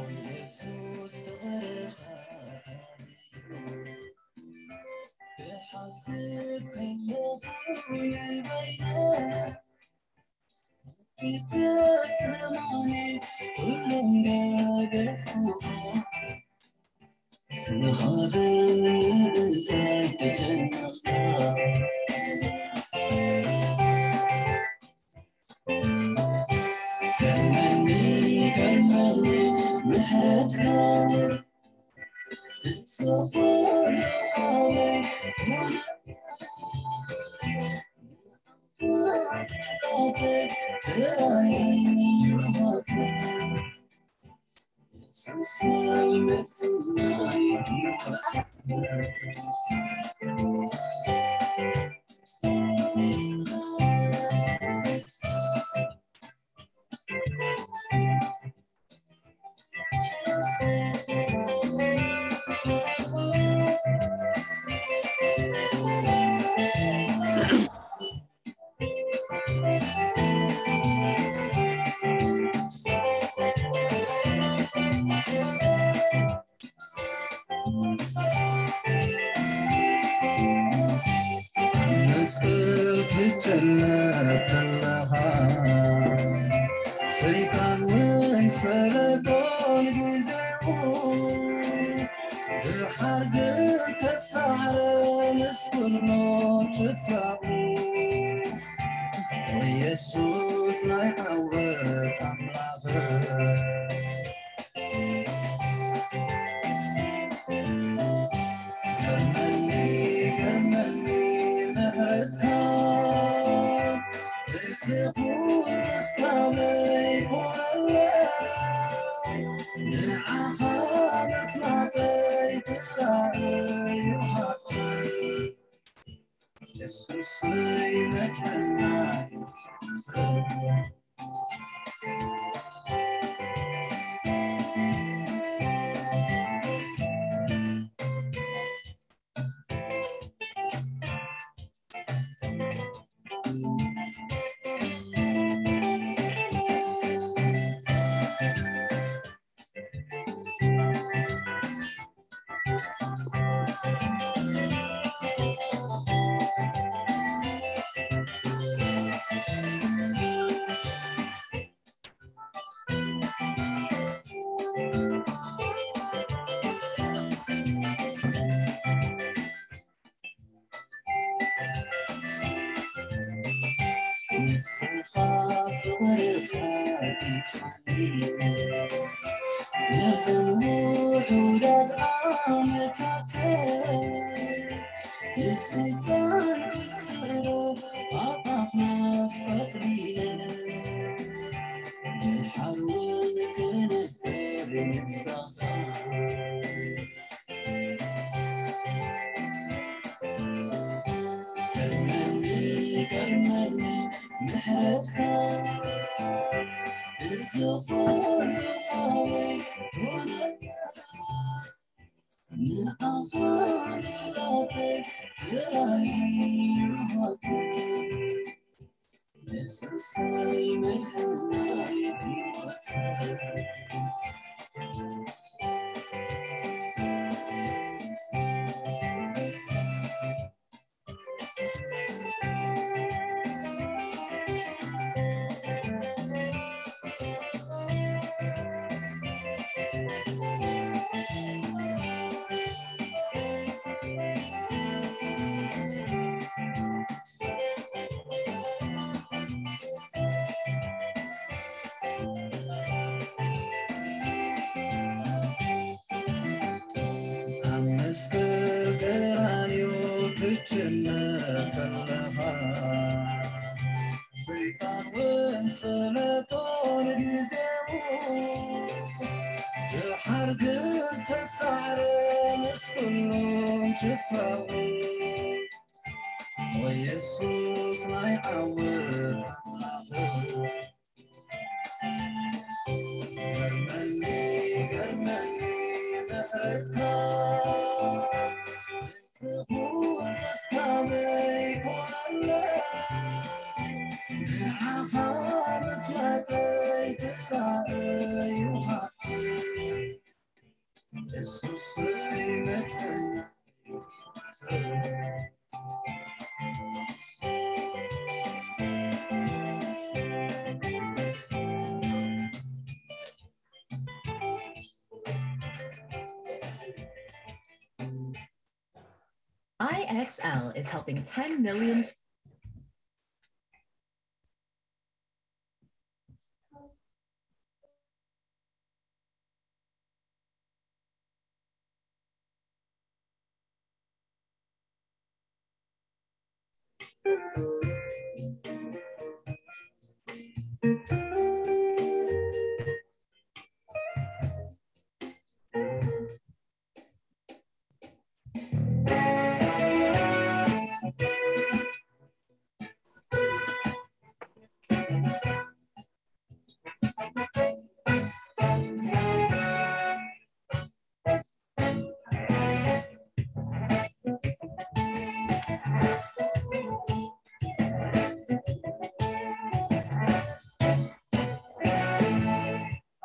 ኢየሱስ ፍቕርኻ ክሓስብ ከለኹ ንበይነይ ተስምዓኒ ኩሉ እንዳገፋሕኩ ስምኻ ብምእንታይ ተጨነቕካ ገርመኒ ገርመኒ ምሕረትካ መስቀል ክትጨነቕ ከለኻ ሰይጣን ውን ፈለጦን ግዜኡ ድሓር ግን ተሳዕረ ምስ ኩሉ ጭፍራኡ ኢየሱስ ናይ ዓወት ኣምላኽ ገርመኒ ገርመኒ ምሕረትካ እዚ ኩሉ ስካበይ ኮለይ ንዓኻ ምፍላጠይ ክራእዩ ሃብተይ ኢየሱስ ናይ መድሓና ንስኻ ፍቕርኻ ዲኻኒ ነዘን ውሑዳት ዓመታት ንሰይጣን ክስዕሮ ኣብ ኣፍ ናፍቆት ዲለ ድሓር እውን ክንፍር ንሳኻ ገርመኒ ገርመኒ ምሕረትካ እዚ ኩሉ ካበይ ኮነካ ንዓኻ ምፍላጠይ ጥራይ እዩ ሃብተይ ኢየሱሰይ መድሓኒይ ህይወተይ ኣብ መስቀል ቀራንዮ ክትጭነቕ ከለኻ ሰይጣን እውን ሰለጦ ንግዜኡ ድሓር ግን ተሳዕረ ምስ ኩሎም ጭፍራኡ፣ ኦ የሱስ ናይ ዓወት ኣምላኽ። ገርመኒ፣ ገርመኒ ምሕረትካ፣ እዚ ኩሉስ ካበይ ኮነለይ? ንዓኻ ምፍላጠይ ጥራይ እዩ ሃብተይ። የሱሰይ መድሓኒይ። I X L is helping ten million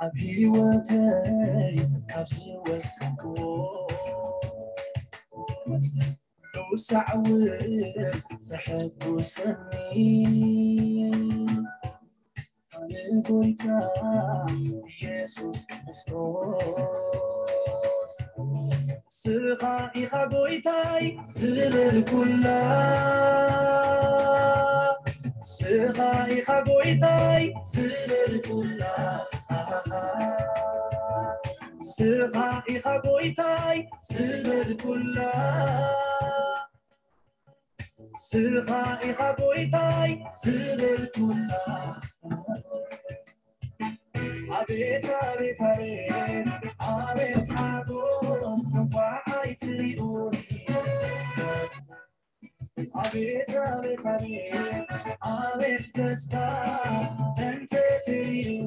ኣብ ህይወተይ ካብ ዝወሰንክዎ ንውሳዕ እውን ዘሐጉሰኒ፣ ኣነ ጎይታ ኢየሱስ ክርስቶስ፣ ንስኻ ኢኻ ጎይታይ ዝበልኩላ፣ ንስኻ ኢኻ ጎይታይ ዝበልኩላ፣ ንስኻ ኢኻ ጎይታይ ዝበልኩላ፣ ንስኻ ኢኻ ጎይታይ ዝበልኩላ። ኣቤት፣ ኣቤት፣ ኣቤት፣ ኣቤት ሓጎስ እንኳዕ ኣይትሪኡኒ። ኣቤት፣ ኣቤት፣ ኣቤት፣ ኣቤት ደስታ እንተትሪኡ፣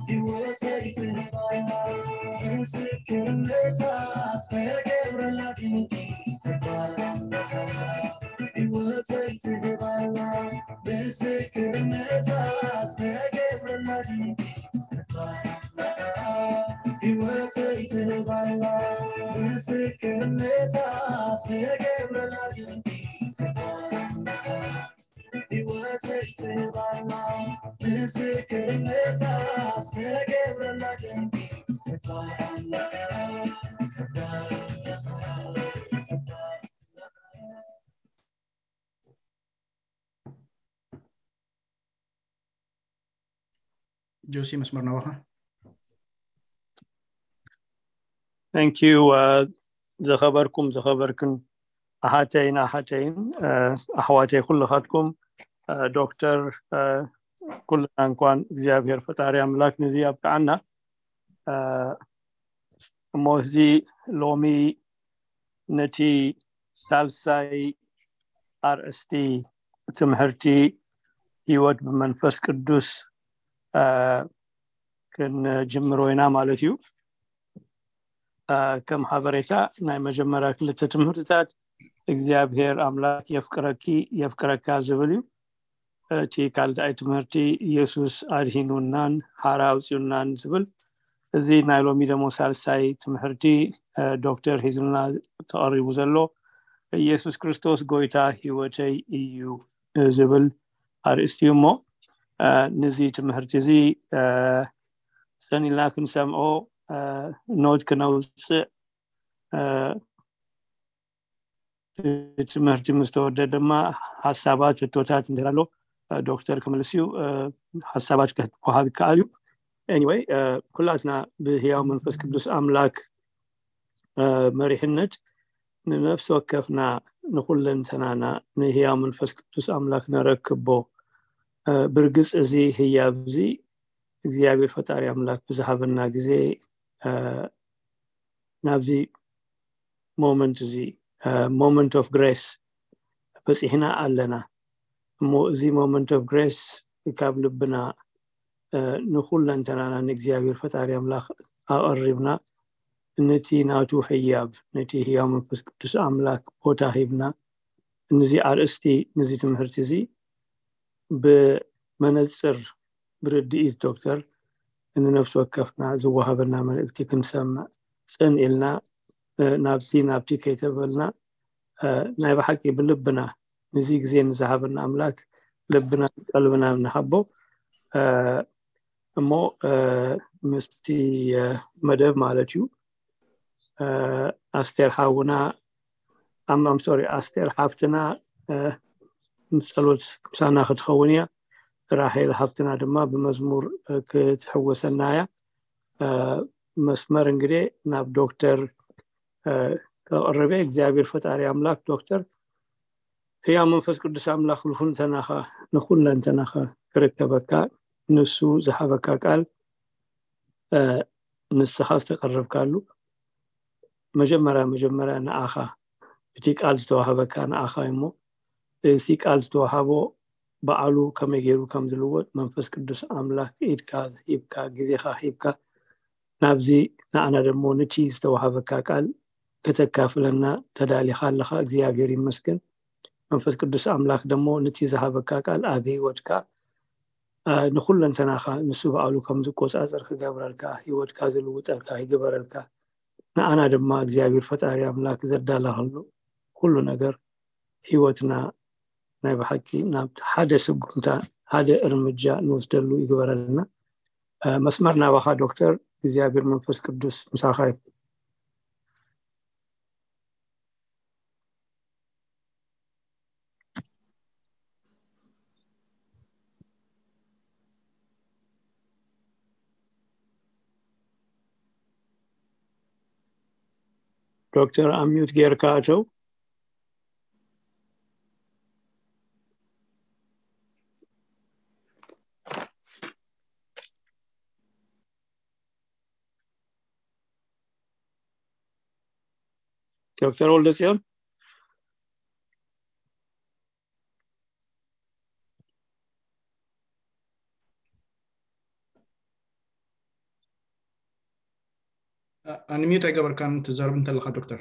ህይወተይ ትህባያ ምስክርነታ ዝተገብረላ ድንቂ ትባል። ህይወተይ ትህባያ ምስክርነታ ዝተገብረላ ድንቂ ትባል። ህይወተይ ትህባያ ምስክርነታ ዝተገብረላ ድንቂ ትባል። ህይወተይ ትህባያ ምስክርነታ ዝተገብረላ ድንቂ ትባል። ጆሲ፣ መስመር ናባኻ። Thank you። ዝኸበርኩም ዝኸበርክን ኣሓተይን ኣሓተይን ኣሕዋተይ ኩልኻትኩም፣ ዶክተር፣ ኩልና እንኳን እግዚኣብሔር ፈጣሪ ኣምላክ ነዚ ኣብቅዓና። እሞ እዚ ሎሚ ነቲ ሳልሳይ ኣርእስቲ ትምህርቲ ህይወት ብመንፈስ ቅዱስ ክንጅምሮ ኢና ማለት እዩ። ከም ሓበሬታ ናይ መጀመርያ ክልተ ትምህርትታት እግዚኣብሔር ኣምላክ የፍቅረኪ የፍቅረካ ዝብል እዩ። እቲ ካልኣይ ትምህርቲ ኢየሱስ ኣድሂኑናን ሓራ ኣውፅኡናን ዝብል፣ እዚ ናይ ሎሚ ደሞ ሳልሳይ ትምህርቲ ዶክተር ሒዙልና ተቐሪቡ ዘሎ ኢየሱስ ክርስቶስ ጎይታ ህይወተይ እዩ ዝብል ኣርእስቲ እዩ። እሞ ነዚ ትምህርቲ እዚ ሰኒልና ክንሰምዖ ኖት ክነውፅእ፣ ትምህርቲ ምስ ተወደ ድማ ሓሳባት፣ ሕቶታት እንድሕር ኣሎ ዶክተር ክምልስ እዩ። ሓሳባት ክወሃብ ይከኣል እዩ። Anyway፣ ኩላትና ብህያው መንፈስ ቅዱስ ኣምላክ መሪሕነት ንነፍሲ ወከፍና ንኩለንተናና ንህያው መንፈስ ቅዱስ ኣምላክ ነረክቦ። ብርግጽ እዚ ህያብ እዚ እግዚኣብሔር ፈጣሪ ኣምላክ ብዝሃበና ግዜ ናብዚ ሞመንት እዚ ሞመንት ኦፍ ግሬስ በፂሕና ኣለና። እሞ እዚ ሞመንት ኦፍ ግሬስ ካብ ልብና ንኩለንተናና ንእግዚኣብሔር ፈጣሪ ኣምላክ ኣቐሪብና ነቲ ናቱ ህያብ ነቲ ህያው መንፈስ ቅዱስ ኣምላክ ቦታ ሂብና ነዚ ኣርእስቲ ነዚ ትምህርቲ እዚ ብመነፅር ብርድኢት ዶክተር ንነፍሲ ወከፍና ዝወሃበና መልእክቲ ክንሰምዕ ፅን ኢልና ናብቲ ናብቲ ከይተበልና ናይ ብሓቂ ብልብና ነዚ ግዜ ንዝሃበና ኣምላክ ልብና ቀልብና ንሃቦ። እሞ ምስቲ መደብ ማለት እዩ ኣስቴር ሓውና ኣም ሶሪ ኣስቴር ሓፍትና ምስ ጸሎት ምሳና ክትኸውን እያ። ራሄል ሓፍትና ድማ ብመዝሙር ክትሕወሰና እያ። መስመር እንግዲህ ናብ ዶክተር ከቕርበ እግዚኣብሔር ፈጣሪ ኣምላክ ዶክተር ህያው መንፈስ ቅዱስ ኣምላክ ንኩለንተናኻ ንኩለንተናኻ ክርከበካ ንሱ ዝሃበካ ቃል ንስኻ ዝተቀረብካሉ መጀመርያ መጀመርያ ንኣኻ እቲ ቃል ዝተዋህበካ ንኣኻ እሞ እቲ ቃል ዝተዋሃቦ በዓሉ ከመይ ገይሩ ከም ዝልወጥ መንፈስ ቅዱስ ኣምላክ ኢድካ ሂብካ ግዜኻ ሂብካ ናብዚ ንኣና ደሞ ነቲ ዝተዋሃበካ ቃል ከተካፍለና ተዳሊኻ ኣለኻ እግዚኣብሔር ይመስገን። መንፈስ ቅዱስ ኣምላክ ደሞ ነቲ ዝሃበካ ቃል ኣብ ህይወትካ ንኩለንተናኻ ንሱ በዓሉ ከም ዝቆፃፀር ክገብረልካ ህይወትካ ዝልውጠልካ ይግበረልካ። ንኣና ድማ እግዚኣብሔር ፈጣሪ ኣምላክ ዘዳለኸሉ ኩሉ ነገር ህይወትና ናይ ብሓቂ ናብ ሓደ ስጉምታ ሓደ እርምጃ ንወስደሉ ይግበረልና። መስመር ናባኻ ዶክተር እግዚኣብሔር መንፈስ ቅዱስ ምሳኻ ይኹን። ዶክተር ኣሚዩት ጌርካ ኣተው። ዶክተር ወልደፅዮን ኣንሚዩት ኣይገበርካን ትዛረብ እንተለካ ዶክተር።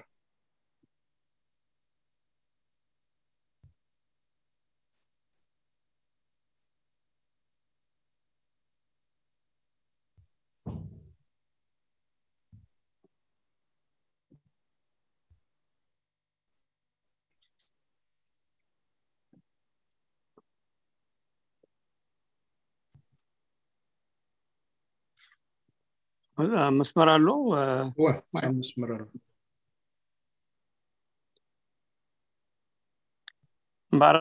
መስመር ኣሎ መስመር ኣሎ። እምበኣር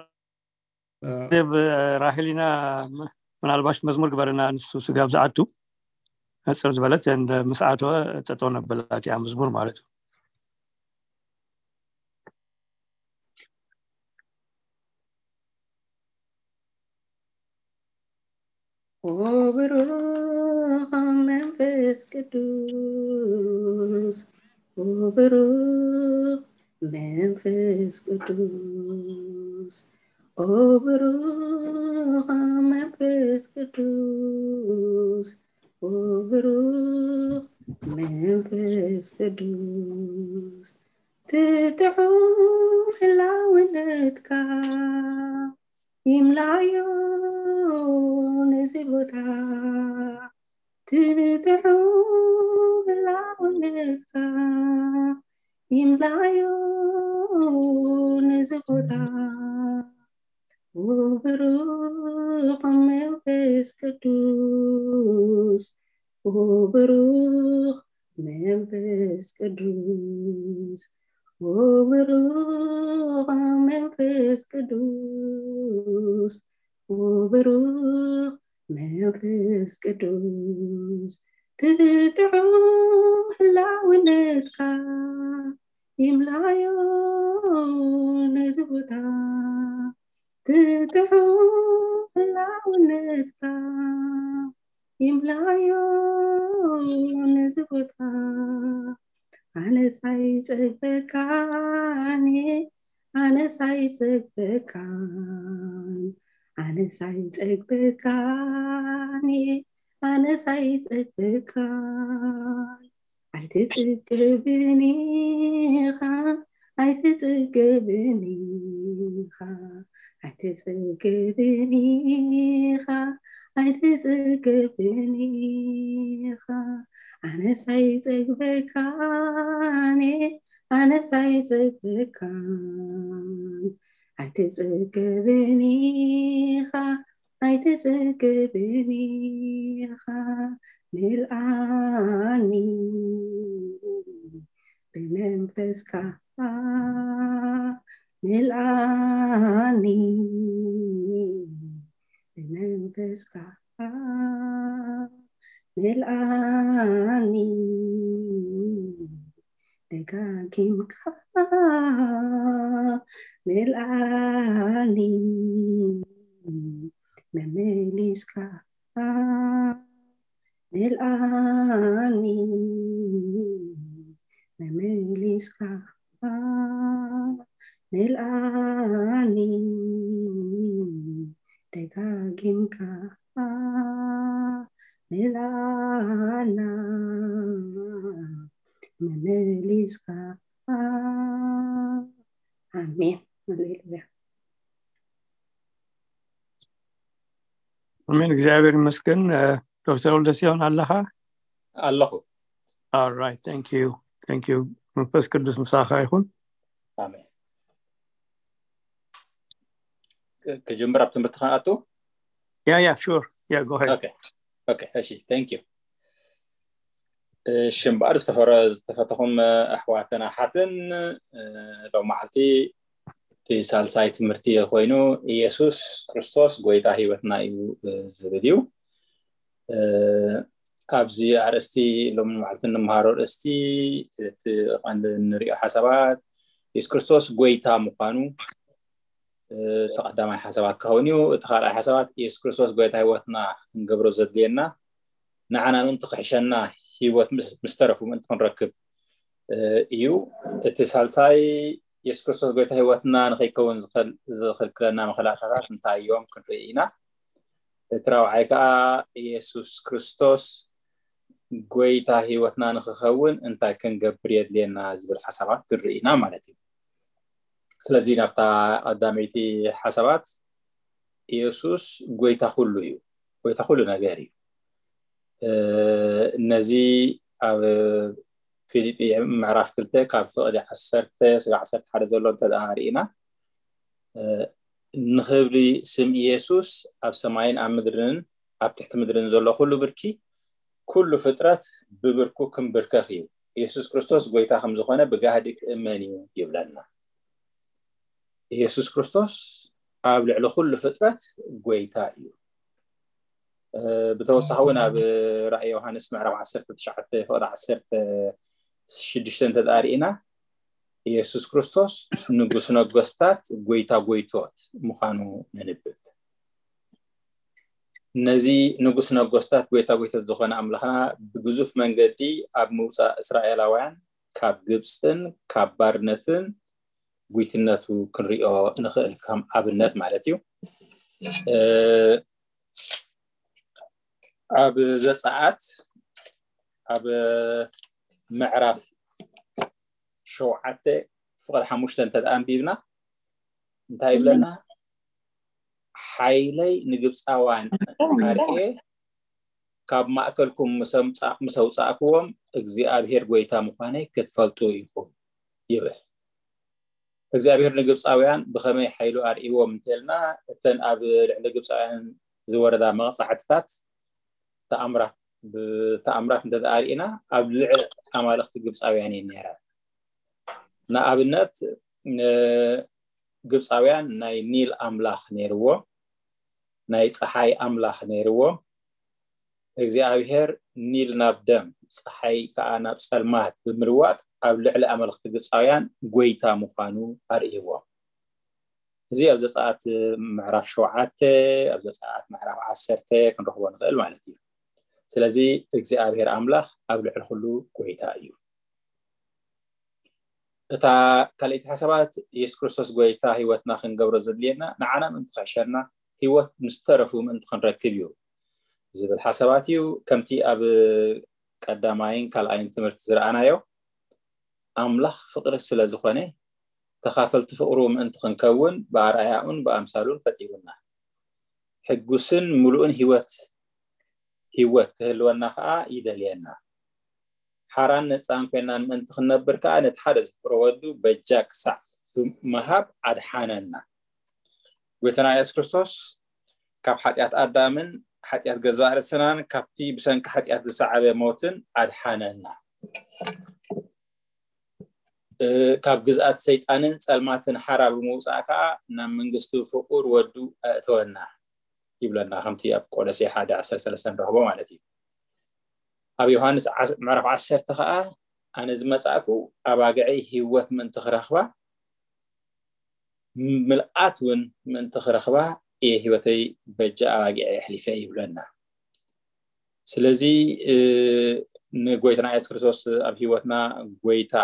ራሄሊና ምናልባሽ መዝሙር ግበርና ንሱ ስጋብ ዝኣቱ ሕፅር ዝበለት ዘንድ ምስ ኣተወ ጠጠው ነብላ እቲኣ መዝሙር ማለት እዩ። ኦ ብሩኽ መንፈስ ቅዱስ፣ ኦ ብሩኽ መንፈስ ቅዱስ፣ ኦ ብሩኽ መንፈስ ቅዱስ፣ ኦ ብሩኽ መንፈስ ቅዱስ፣ ትጥዑም ህላውነትካ ይምላዮ ነዚ ቦታ፣ ትጥዑም ህላውነትካ ይምላዮ ነዚ ቦታ። ኦ ብሩኽ መንፈስ ቅዱስ፣ ኦ ብሩኽ መንፈስ ቅዱስ፣ ኦ ብሩኽ መንፈስ ቅዱስ፣ ኦ ብሩኽ መንፈስ ቅዱስ፣ ትጥዑም ህላውነትካ ይምላዮ ነዚ ቦታ፣ ትጥዑም ህላውነትካ ይምላዮ ነዚ ቦታ። ኣነስ ኣይጸግበካን፣ ኣነስ ኣይጸግበካን፣ ኣነስ ኣይጸግበካን፣ ኣነስ ኣይጸግበካን። ኣይትጽገብን ኢኻ፣ ኣይትጽገብን ኢኻ፣ ኣይትጽገብን ኢኻ፣ ኣይትጽገብን ኢኻ። ኣነስ ኣይጸግበካን፣ ኣነስ ኣይጸግበካን፣ ኣይትጽገብን ኢኻ፣ ኣይትጽገብን ኢኻ። ምልኣኒ ብመንፈስካ፣ ምልኣኒ ብመንፈስካ፣ ምልኣኒ ደጋጊምካ፣ ምልኣኒ መመሊስካ፣ ምልኣኒ መመሊስካ፣ ምልኣኒ ደጋጊምካ፣ ምልኣና መመሊስካ። ኣሜን። ሃሌሉያ። ኣሜን። እግዚኣብሔር ይመስገን። እ፣ ዶክተር ወልደሲዮን ኣለኻ? ኣለኹ። All right, thank you, thank you። መንፈስ ቅዱስ ምሳኻ ይኹን። ኣሜን። ክ- ክጅምር ኣብ ትምህርቲ ከኣቱ። Yeah, yeah, sure, yeah, go ahead። ኦኬ፣ ኦኬ፣ እሺ፣ thank you። እሺ፣ እምበኣር ዝተፈረ ዝተፈተኹም ኣሕዋትን ኣሓትን፣ እ፣ ሎም መዓልቲ እቲ ሳልሳይ ትምህርቲ ኮይኑ፣ ኢየሱስ ክርስቶስ ጎይታ ህይወትና እዩ፣ እ፣ ዝብል እዩ። እ፣ ኣብዚ ኣርእስቲ ሎም መዓልቲ እንምሃሮ ኣርእስቲ እቲ ቀንዲ እንሪኦ ሓሳባት ኢየሱስ ክርስቶስ ጎይታ ምዃኑ፣ እ፣ እቲ ቀዳማይ ሓሳባት ክኸውን እዩ። እቲ ካልኣይ ሓሳባት ኢየሱስ ክርስቶስ ጎይታ ህይወትና ክንገብሮ ዘድልየና፣ ንዓና ምእንቲ ክሕሸና፣ ህይወት ምስ ምስ ተረፉ ምእንቲ ክንረክብ፣ እ፣ እዩ። እቲ ሳልሳይ ኢየሱስ ክርስቶስ ጎይታ ህይወትና ንኸይከውን ዝኸል- ዝኽልክለና መኸላእታታት እንታይ እዮም ክንርኢ ኢና። እቲ ራብዓይ ከዓ ኢየሱስ ክርስቶስ ጎይታ ህይወትና ንክኸውን እንታይ ክንገብር የድልየና ዝብል ሓሳባት ክንርኢ ኢና ማለት እዩ። ስለዚ ናብታ ቀዳመይቲ ሓሳባት፣ ኢየሱስ ጎይታ ኩሉ እዩ፣ ጎይታ ኩሉ ነገር እዩ። እ፣ ነዚ ኣብ ፊልጲ ምዕራፍ ክልተ ካብ ፍቕዲ ዓሰርተ ስጋ ዓሰርተ ሓደ ዘሎ እንተ ደኣ ርኢና፣ እ፣ ንኽብሪ ስም ኢየሱስ ኣብ ሰማይን ኣብ ምድርን ኣብ ትሕቲ ምድርን ዘሎ ኩሉ ብርኪ፣ ኩሉ ፍጥረት ብብርኩ ክንብርከኽ እዩ። ኢየሱስ ክርስቶስ ጎይታ ከም ዝኾነ ብጋህዲ ክእመን እዩ ይብለና። ኢየሱስ ክርስቶስ ኣብ ልዕሊ ኩሉ ፍጥረት ጎይታ እዩ። እ፣ ብተወሳኺ እውን ኣብ ራእይ ዮሃንስ ምዕራፍ ዓሰርተ ትሽዓተ ፍቕዲ ዓሰርተ ሽዱሽተ እንተ ደኣ ርኢና፣ ኢየሱስ ክርስቶስ ንጉስ ነገስታት፣ ጎይታ ጎይቶት ምዃኑ ነንብብ። ነዚ ንጉስ ነገስታት፣ ጎይታ ጎይቶት ዝኾነ ኣምላኽና ብግዙፍ መንገዲ ኣብ ምውፃእ እስራኤላውያን ካብ ግብፅን ካብ ባርነትን ጉይትነቱ ክንሪኦ ንኽእል፣ ከም ኣብነት ማለት እዩ። እ፣ ኣብ ዘፀኣት ኣብ ምዕራፍ ሸውዓተ ፍቕዲ ሓሙሽተ እንተ ደኣ ኣንቢብና እንታይ ይብለና? ሓይለይ ንግብፃውያን ኣርኤ፣ ካብ ማእከልኩም ምስ ኣምፃ- ምስ ኣውፃእክዎም እግዚኣብሔር ጎይታ ምዃነይ ክትፈልጡ ኢኹም ይብል። እግዚኣብሔር ንግብፃውያን ብኸመይ ሓይሉ ኣርእይዎም እንተልና፣ እተን ኣብ ልዕሊ ግብፃውያን ዝወረዳ መቕፃዕትታት ተኣምራት ብተኣምራት እንተ ደኣ ርኢና፣ ኣብ ልዕሊ ኣማልኽቲ ግብፃውያን እየን ነይረን። ንኣብነት፣ ን- ግብፃውያን ናይ ኒል ኣምላኽ ነይርዎም፣ ናይ ፀሓይ ኣምላኽ ነይርዎም። እግዚኣብሔር ኒል ናብ ደም፣ ፀሓይ ከዓ ናብ ፀልማት ብምልዋጥ ኣብ ልዕሊ ኣማልኽቲ ግብፃውያን ጎይታ ምዃኑ ኣርእይዎም። እዚ ኣብ ዘፀኣት ምዕራፍ ሸውዓተ፣ ኣብ ዘፀኣት ምዕራፍ ዓሰርተ ክንረኽቦ ንኽእል ማለት እዩ። ስለዚ እግዚኣብሔር ኣምላኽ ኣብ ልዕሊ ኩሉ ጎይታ እዩ። እታ ካልኣይቲ ሓሳባት፣ የሱስ ክርስቶስ ጎይታ ህይወትና ክንገብሮ ዘድልየና ንዓና ምእንቲ ክሕሸና፣ ህይወት ምስ ተረፉ ምእንቲ ክንረክብ እዩ ዝብል ሓሳባት እዩ። ከምቲ ኣብ ቀዳማይን ካልኣይን ትምህርቲ ዝረኣናዮ፣ ኣምላኽ ፍቕሪ ስለ ዝኾነ፣ ተኻፈልቲ ፍቕሩ ምእንቲ ክንከውን ብኣርኣያኡን ብኣምሳሉን ፈጢሩና። ሕጉስን ምሉእን ህይወት ህይወት ክህልወና ከኣ ይደልየና። ሓራን ነጻን ኮይናን ምእንቲ ክንነብር ከኣ ነቲ ሓደ ዘፍቅሮ ወዱ በጃ ክሳዕ ብምሃብ ኣድሓነና። ጎይታና የሱስ ክርስቶስ ካብ ሓጢኣት ኣዳምን ሓጢኣት ገዛእ ርእስናን ካብቲ ብሰንኪ ሓጢኣት ዝሰዓበ ሞትን ኣድሓነና። ካብ ግዝኣት ሰይጣንን ጸልማትን ሓራ ብምውጻእ ከኣ ናብ መንግስቱ ፍቁር ወዱ ኣእተወና ይብለና፣ ከምቲ ኣብ ቆሎሴ ሓደ ዓሰርተ ሰለስተ ንረኽቦ ማለት እዩ። ኣብ ዮሃንስ ምዕራፍ ዓሰርተ ከኣ ኣነ ዝመጻእኩ ኣባግዐይ ህይወት ምእንቲ ክረኽባ ምልኣት እውን ምእንቲ ክረኽባ እየ ህይወተይ በጃ ኣባጊዐ የሕሊፈ ይብለና። ስለዚ ንጎይታና የሱስ ክርስቶስ ኣብ ህይወትና ጎይታ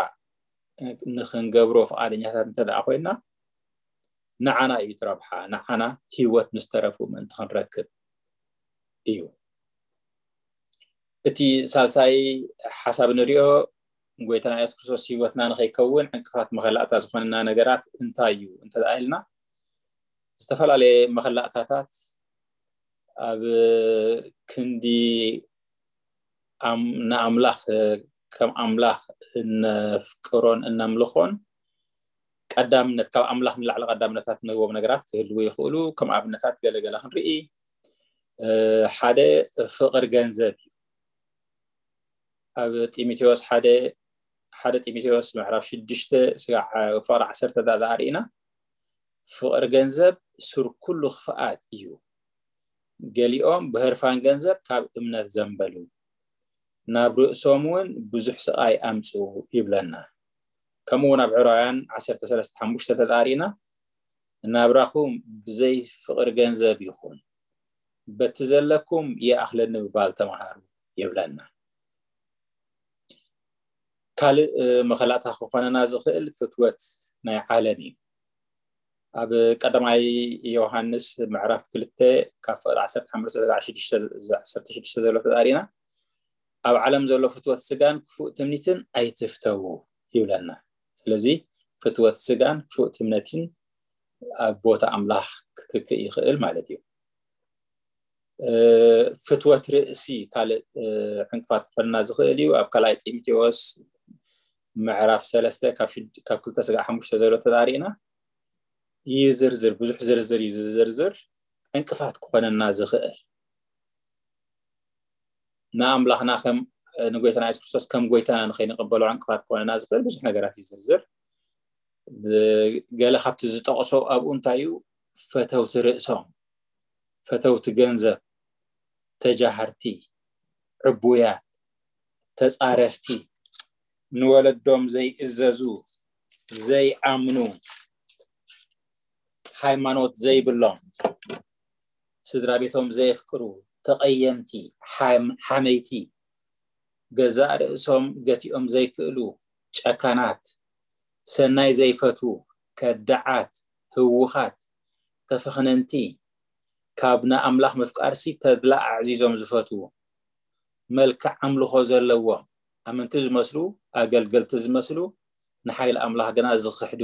ንክንገብሮ ፍቓደኛታት እንተ ደኣ ኮይና፣ ንዓና እዩ እቲ ረብሓ። ንዓና ህይወት ምስ ተረፉ ምእንቲ ክንረክብ እዩ። እቲ ሳልሳይ ሓሳብ ንሪኦ፣ ጎይታና የሱስ ክርስቶስ ህይወትና ንኸይከውን ዕንቅፋት መኸላእታ ዝኾነና ነገራት እንታይ እዩ እንተ ደኣ ኢልና፣ ዝተፈላለየ መኸላእታታት ኣብ ክንዲ ንኣምላኽ ከም ኣምላኽ እነፍቅሮን እነምልኾን ቀዳምነት፣ ካብ ኣምላኽ ንላዕሊ ቀዳምነታት ንህቦም ነገራት ክህልዉ ይኽእሉ። ከም ኣብነታት ገለገለ ክንርኢ፣ ሓደ ፍቕሪ ገንዘብ እዩ። ኣብ ጢሞቴዎስ ሓደ ሓደ ጢሞቴዎስ ምዕራፍ ሽዱሽተ ስጋዕ ፍቕሪ ዓሰርተ ዳኣ ርኢና፣ ፍቕሪ ገንዘብ ሱር ኩሉ ክፍኣት እዩ። ገሊኦም ብህርፋን ገንዘብ ካብ እምነት ዘንበሉ፣ ናብ ርእሶም እውን ብዙሕ ስቓይ ኣምጽኡ ይብለና። ከምኡ እውን ኣብ ዕብራውያን ዓሰርተ ሰለስተ ሓሙሽተ ተዳሪና፣ ናብራኹም ብዘይ ፍቕሪ ገንዘብ ይኹን፣ በቲ ዘለኩም ይኣኽለኒ ምባል ተምሃሩ ይብለና። ካልእ መኸላእታ ክኾነና ዝኽእል ፍትወት ናይ ዓለም እዩ። ኣብ ቀዳማይ ዮሃንስ ምዕራፍ ክልተ ካብ ፍቕዲ ዓሰርተ ሓሙሽተ ዓሰርተ ሽዱሽተ ዘሎ ተዳሪና፣ ኣብ ዓለም ዘሎ ፍትወት ስጋን ክፉእ ትምኒትን ኣይትፍተዉ ይብለና። ስለዚ ፍትወት ስጋን ክፉእ ትምነትን ኣብ ቦታ ኣምላኽ ክትክእ ይኽእል ማለት እዩ። ፍትወት ርእሲ ካልእ ዕንቅፋት ክኾንና ዝኽእል እዩ። ኣብ ካልኣይ ጢሞቴዎስ ምዕራፍ ሰለስተ ካብ ክልተ ስጋዕ ሓሙሽተ ዘሎ ተዳሪእና ይዝርዝር፣ ብዙሕ ዝርዝር እዩ ዝዝርዝር። ዕንቅፋት ክኾነና ዝኽእል ንኣምላኽና ከም ንጎይታና የሱስ ክርስቶስ ከም ጎይታና ንኸይንቕበሎ ዕንቅፋት ክኾነና ዝኽእል ብዙሕ ነገራት ይዝርዝር። ገለ ካብቲ ዝጠቕሶ ኣብኡ እንታይ እዩ? ፈተውቲ ርእሶም፣ ፈተውቲ ገንዘብ፣ ተጃሃርቲ፣ ዕቡያት፣ ተጻረፍቲ፣ ንወለዶም ዘይእዘዙ፣ ዘይኣምኑ፣ ሃይማኖት ዘይብሎም፣ ስድራ ቤቶም ዘየፍቅሩ፣ ተቐየምቲ፣ ሓመይቲ፣ ገዛእ ርእሶም ገቲኦም ዘይክእሉ፣ ጨካናት፣ ሰናይ ዘይፈትዉ፣ ከዳዓት፣ ህዉኻት፣ ተፈኽነንቲ፣ ካብ ንኣምላኽ ምፍቃርሲ ተድላ ኣዕዚዞም ዝፈትዉ፣ መልክዕ ኣምልኾ ዘለዎም፣ ኣመንቲ ዝመስሉ፣ ኣገልገልቲ ዝመስሉ፣ ንሓይሊ ኣምላኽ ግና ዝኽሕዱ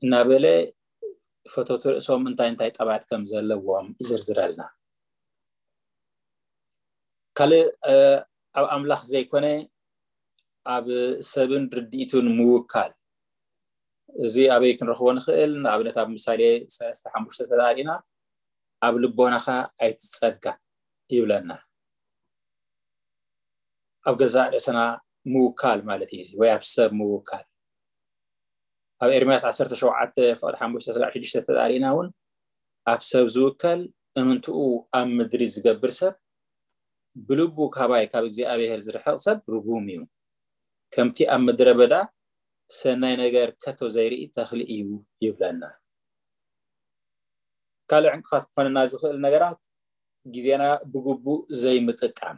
እናበለ ፈተውቲ ርእሶም እንታይ እንታይ ጠባያት ከም ዘለዎም ይዝርዝረልና። ካልእ ኣብ ኣምላኽ ዘይኮነ ኣብ ሰብን ርድኢቱን ምውካል። እዚ ኣበይ ክንረኽቦ ንኽእል? ንኣብነት ኣብ ምሳሌ ሰለስተ ሓሙሽተ ተዳሪእና ኣብ ልቦናኻ ኣይትጸጋ ይብለና። ኣብ ገዛእ ርእስና ምውካል ማለት እዩ፣ ወይ ኣብ ሰብ ምውካል። ኣብ ኤርምያስ ዓሰርተ ሸውዓተ ፍቕዲ ሓሙሽተ ስጋዕ ሽዱሽተ ተዳሪእና እውን ኣብ ሰብ ዝውከል እምንትኡ ኣብ ምድሪ ዝገብር ሰብ ብልቡ ካባይ ካብ እግዚኣብሔር ዝርሕቕ ሰብ ርጉም እዩ። ከምቲ ኣብ ምድረ በዳ ሰናይ ነገር ከቶ ዘይርኢ ተኽሊ እዩ ይብለና። ካልእ ዕንቅፋት ክኾነና ዝኽእል ነገራት ግዜና ብግቡእ ዘይምጥቃም።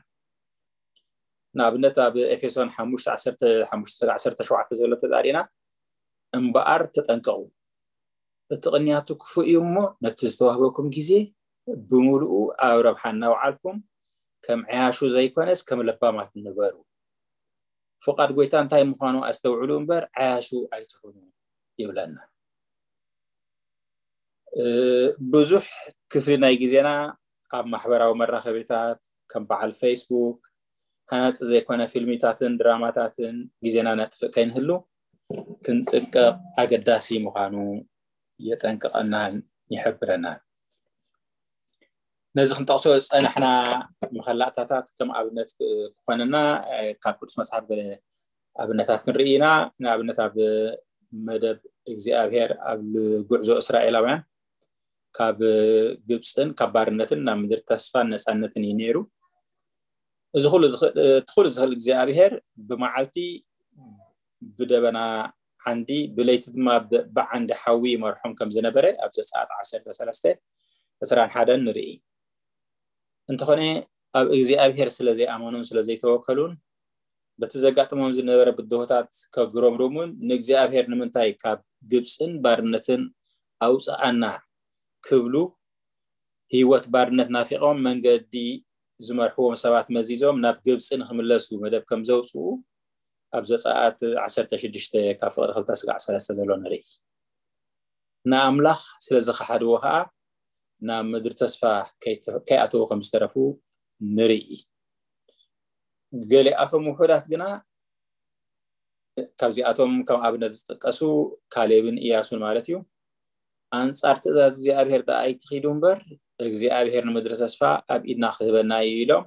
ንኣብነት ኣብ ኤፌሶን ሓሙሽተ ዓሰርተ ሓሙሽተ ዓሰርተ ሸውዓተ ዘሎ ተጣሪና፣ እምበኣር ተጠንቀቑ፣ እቲ ቅንያቱ ክፉእ እዩ እሞ፣ ነቲ ዝተዋህበኩም ግዜ ብምሉኡ ኣብ ረብሓ እናውዓልኩም፣ ከም ዓያሹ ዘይኮነስ ከም ለባማት ንበሩ። ፍቓድ ጎይታ እንታይ ምዃኑ ኣስተውዕሉ እምበር ዓያሹ ኣይትኹኑ ይብለና። ብዙሕ ክፍሊ ናይ ግዜና ኣብ ማሕበራዊ መራኸቢታት ከም በዓል ፌስቡክ፣ ሃናፂ ዘይኮነ ፊልሚታትን ድራማታትን ግዜና ነጥፍእ ከይንህሉ ክንጥቀቕ ኣገዳሲ ምዃኑ የጠንቅቐናን ይሕብረናን። ነዚ ክንጠቕሶ ዝፀናሕና መኸላእታታት ከም ኣብነት ክኾነና ካብ ቅዱስ መፅሓፍ ገለ ኣብነታት ክንርኢ ኢና። ንኣብነት ኣብ መደብ እግዚኣብሔር ኣብ ጉዕዞ እስራኤላውያን ካብ ግብፅን ካብ ባርነትን ናብ ምድሪ ተስፋን ነፃነትን እዩ ነይሩ። እዚ ኩሉ ዝኽእል እግዚኣብሔር ብመዓልቲ ብደበና ዓንዲ ብለይቲ ድማ ብዓንዲ ሓዊ ይመርሖም ከም ዝነበረ ኣብ ዘፀኣት ዓሰርተ ሰለስተ ዕስራን ሓደን ንርኢ። እንተኾነ ኣብ እግዚኣብሔር ስለ ዘይኣመኑን ስለ ዘይተወከሉን በቲ ዘጋጥሞም ዝነበረ ብድሆታት ከግረምርሙን ንእግዚኣብሔር ንምንታይ ካብ ግብፅን ባርነትን ኣውፅኣና ክብሉ ህይወት ባርነት ናፊቖም መንገዲ ዝመርሕዎም ሰባት መዚዞም ናብ ግብፂ ንክምለሱ መደብ ከም ዘውፅኡ ኣብ ዘፀኣት ዓሰርተ ሽዱሽተ ካብ ፍቕሪ ክልተ ስጋዕ ሰለስተ ዘሎ ንርኢ። ንኣምላኽ ስለ ዝኸሓድዎ ኸዓ ናብ ምድሪ ተስፋ ከይኣተዉ ከም ዝተረፉ ንርኢ። ገሊኣቶም ውሑዳት ግና ካብዚኣቶም ከም ኣብነት ዝጥቀሱ ካሌብን ኢያሱን ማለት እዩ። ኣንጻር ትእዛዝ እግዚኣብሔር ደኣ ኣይትኺዱ እምበር እግዚኣብሔር ንምድሪ ተስፋ ኣብ ኢድና ክህበና እዩ ኢሎም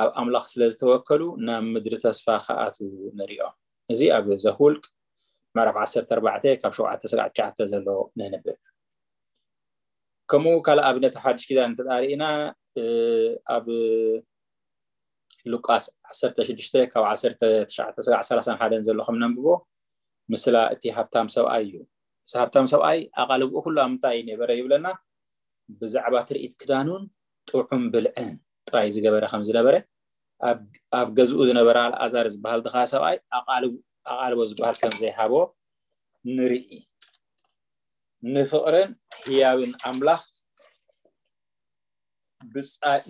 ኣብ ኣምላኽ ስለ ዝተወከሉ ናብ ምድሪ ተስፋ ክኣትዉ ንሪኦም። እዚ ኣብ ዘሁልቅ ምዕራፍ ዓሰርተ ኣርባዕተ ካብ ሸውዓተ ስጋዕ ትሽዓተ ዘሎ ነንብብ። ከምኡ ካልእ ኣብነት ሓድሽ ኪዳን እንተዳርኢና ኣብ ሉቃስ ዓሰርተ ሽዱሽተ ካብ ዓሰርተ ትሽዓተ ስጋዕ ሰላሳን ሓደን ዘሎ ከም ነንብቦ ምስላ እቲ ሃብታም ሰብኣይ እዩ። እዚ ሃብታም ሰብኣይ ኣቓልብኡ ኩሉ ኣብ ምንታይ ነበረ ይብለና? ብዛዕባ ትርኢት ክዳኑን ጥዑም ብልዕን ጥራይ ዝገበረ ከም ዝነበረ ኣብ ገዝኡ ዝነበረ ኣልኣዛር ዝበሃል ድኻ ሰብኣይ ኣቓልቦ ዝበሃል ከም ዘይሃቦ ንርኢ። ንፍቕርን ህያብን ኣምላኽ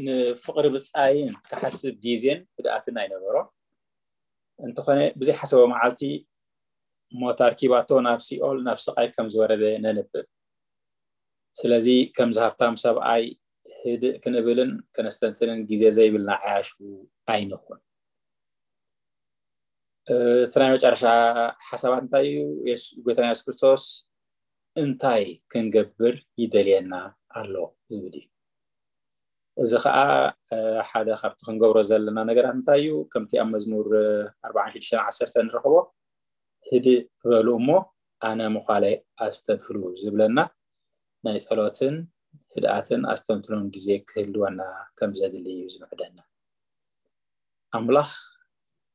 ንፍቕሪ ብጻይን ክሓስብ ግዜን ህድኣትን ኣይነበሮ። እንተኾነ ብዘይሓሰቦ መዓልቲ ሞት ኣርኪባቶ ናብ ሲኦል ናብ ስቓይ ከም ዝወረደ ነንብብ። ስለዚ ከምዚ ሃብታም ሰብኣይ ህድእ ክንብልን ከነስተንትንን ግዜ ዘይብልና ዓያሹ ኣይንኹን። እቲ ናይ መጨረሻ ሓሳባት እንታይ እዩ? ጎይታና የሱስ ክርስቶስ እንታይ ክንገብር ይደልየና ኣሎ ዝብል እዩ። እዚ ከዓ ሓደ ካብቲ ክንገብሮ ዘለና ነገራት እንታይ እዩ? ከምቲ ኣብ መዝሙር ኣርባዓን ሽዱሽተን ዓሰርተ ንረኽቦ፣ ህድእ በሉ እሞ ኣነ ምዃለይ ኣስተብህሉ ዝብለና ናይ ጸሎትን ህድኣትን ኣስተንትኖን ግዜ ክህልወና ከም ዘድሊ እዩ ዝምዕደና። ኣምላኽ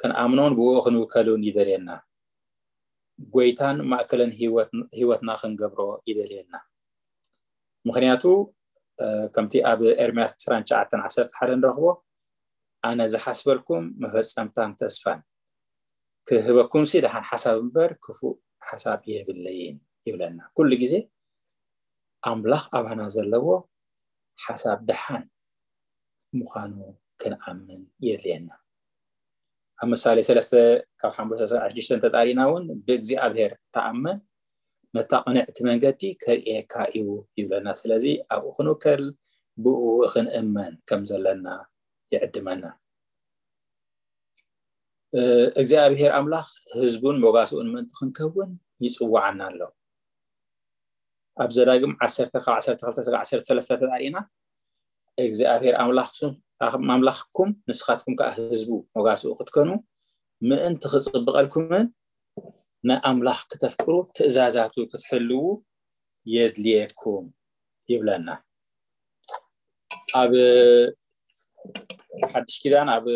ክንኣምኖን ብኡ ክንውከልን ይደልየና። ጎይታን ማእከልን ህይወትና ክንገብሮ ይደልየና። ምኽንያቱ ከምቲ ኣብ ኤርምያስ ዕስራን ትሽዓተን ዓሰርተ ሓደ ንረኽቦ፣ ኣነ ዝሓስበልኩም መፈጸምታን ተስፋን ክህበኩም ሲ ደሓን ሓሳብ እምበር ክፉእ ሓሳብ የብለይን ይብለና። ኩሉ ግዜ ኣምላኽ ኣባና ዘለዎ ሓሳብ ደሓን ምዃኑ ክንኣምን የድልየና። ኣብ ምሳሌ ሰለስተ ካብ ሓሙሽተ ስጋዕ ሽዱሽተ እንተጣሪና እውን ብእግዚኣብሔር ተኣመን ነታ ቅንዕቲ መንገዲ ከርእየካ እዩ ይብለና። ስለዚ ኣብኡ ክንውከል ብኡ ክንእመን ከም ዘለና ይዕድመና። እግዚኣብሔር ኣምላኽ ህዝቡን መጓስኡን ምእንቲ ክንከውን ይጽውዓና ኣሎ። ኣብ ዘዳግም ዓሰርተ ካብ ዓሰርተ ክልተ ስጋዕ ዓሰርተ ሰለስተ ተጣሪና እግዚኣብሔር ኣምላኽኩም ንስኻትኩም ከዓ ህዝቡ መጓስኡ ክትኮኑ ምእንቲ ክጽብቐልኩምን ንኣምላኽ ክተፍቅሩ ትእዛዛቱ ክትሕልዉ የድልየኩም ይብለና። ኣብ ሓድሽ ኪዳን ኣብ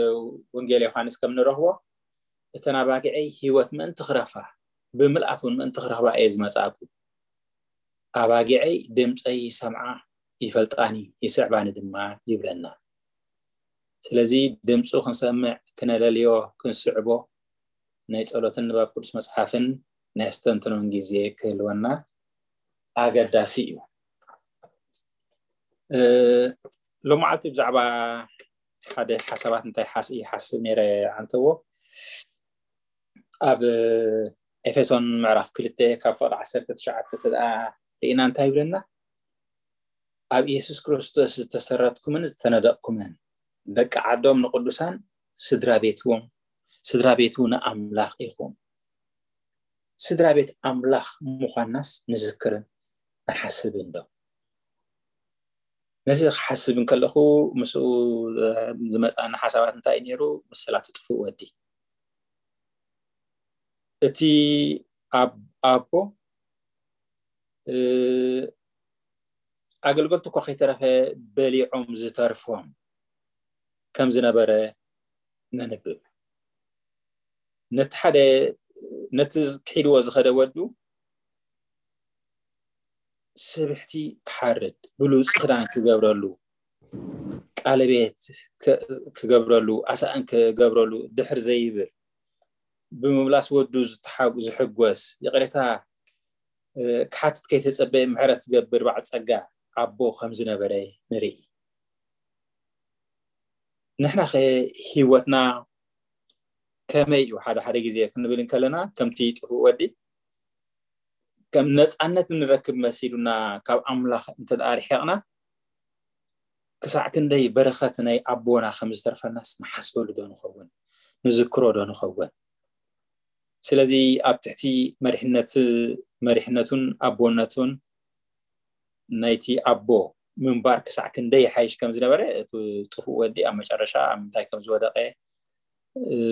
ወንጌል ዮሃንስ ከም ንረኽቦ እተን ኣባጊዐይ ህይወት ምእንቲ ክረኽባ ብምልኣት እውን ምእንቲ ክረኽባ እየ ዝመጻእኩ። ኣባጊዐይ ድምፀይ ይሰምዓ ይፈልጣኒ ይስዕባኒ ድማ ይብለና። ስለዚ ድምፁ ክንሰምዕ፣ ክነለልዮ፣ ክንስዕቦ ናይ ጸሎትን ንባብ ቅዱስ መጽሓፍን ናይ ኣስተንትኖን ግዜ ክህልወና ኣገዳሲ እዩ። ሎመዓልቲ ብዛዕባ ሓደ ሓሳባት እንታይ ሓስ ይሓስብ ነይረ ኣንተዎ፣ ኣብ ኤፌሶን ምዕራፍ ክልተ ካብ ፍቕዲ ዓሰርተ ትሽዓተ ተደኣ ርኢና እንታይ ይብለና? ኣብ ኢየሱስ ክርስቶስ ዝተሰረትኩምን ዝተነደቕኩምን ደቂ ዓዶም ንቅዱሳን ስድራ ቤትዎም፣ ስድራ ቤቱ ንኣምላኽ ኢኹም። ስድራ ቤት ኣምላኽ ምዃንናስ ንዝክርን ንሓስብን ዶ? ነዚ ክሓስብ እንከለኹ ምስኡ ዝመፅኣኒ ሓሳባት እንታይ እዩ ነይሩ? ምስላ እቲ ጥፉእ ወዲ፣ እቲ ኣብ ኣቦ ኣገልገልቱ እኳ ከይተረፈ በሊዖም ዝተርፎም ከም ዝነበረ ነንብብ። ነቲ ሓደ ነቲ ክሒድዎ ዝኸደ ወዱ ስብሕቲ ክሓርድ፣ ብሉፅ ክዳን ክገብረሉ፣ ቃለቤት ክገብረሉ፣ ኣሳእን ክገብረሉ ድሕር ዘይብል፣ ብምምላስ ወዱ ዝሕጎስ፣ ይቕሬታ ክሓትት ከይተጸበየ ምሕረት ዝገብር በዓል ጸጋ ኣቦ ከም ዝነበረ ንርኢ። ንሕና ከ ህይወትና ከመይ እዩ? ሓደ ሓደ ግዜ ክንብል እንከለና ከምቲ ጥፉእ ወዲ ከም ነጻነት እንረክብ መሲሉና ካብ ኣምላኽ እንተ ደኣ ርሒቕና ክሳዕ ክንደይ በረኸት ናይ ኣቦና ከም ዝተርፈናስ ንሓስበሉ ዶ ንኸውን? ንዝክሮ ዶ ንኸውን? ስለዚ ኣብ ትሕቲ መሪሕነት መሪሕነቱን ኣቦነቱን ናይቲ ኣቦ ምንባር ክሳዕ ክንደይ ይሓይሽ ከም ዝነበረ እቲ ጥፉእ ወዲ ኣብ መጨረሻ ኣብ ምንታይ ከም ዝወደቀ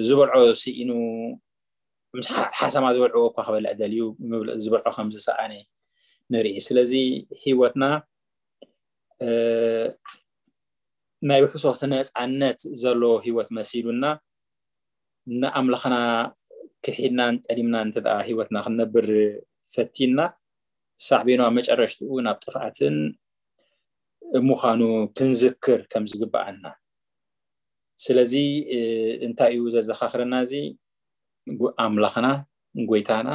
ዝበልዖ ስኢኑ ምስ ሓሰማ ዝበልዕዎ እኳ ክበልዕ ደልዩ ዝበልዖ ከም ዝሰኣነ ንርኢ። ስለዚ ህይወትና ናይ ውሕሶ ነፃነት ዘለዎ ህይወት መሲሉና ንኣምላኽና ክሒድናን ጠሊምናን እንተ ደኣ ህይወትና ክንነብር ፈቲንና ሳዕቤኑ ኣብ መጨረሽትኡ ናብ ጥፍኣትን ምዃኑ ክንዝክር ከም ዝግብኣና። ስለዚ እንታይ እዩ ዘዘኻኽረና? እዚ ኣምላኽና ጎይታና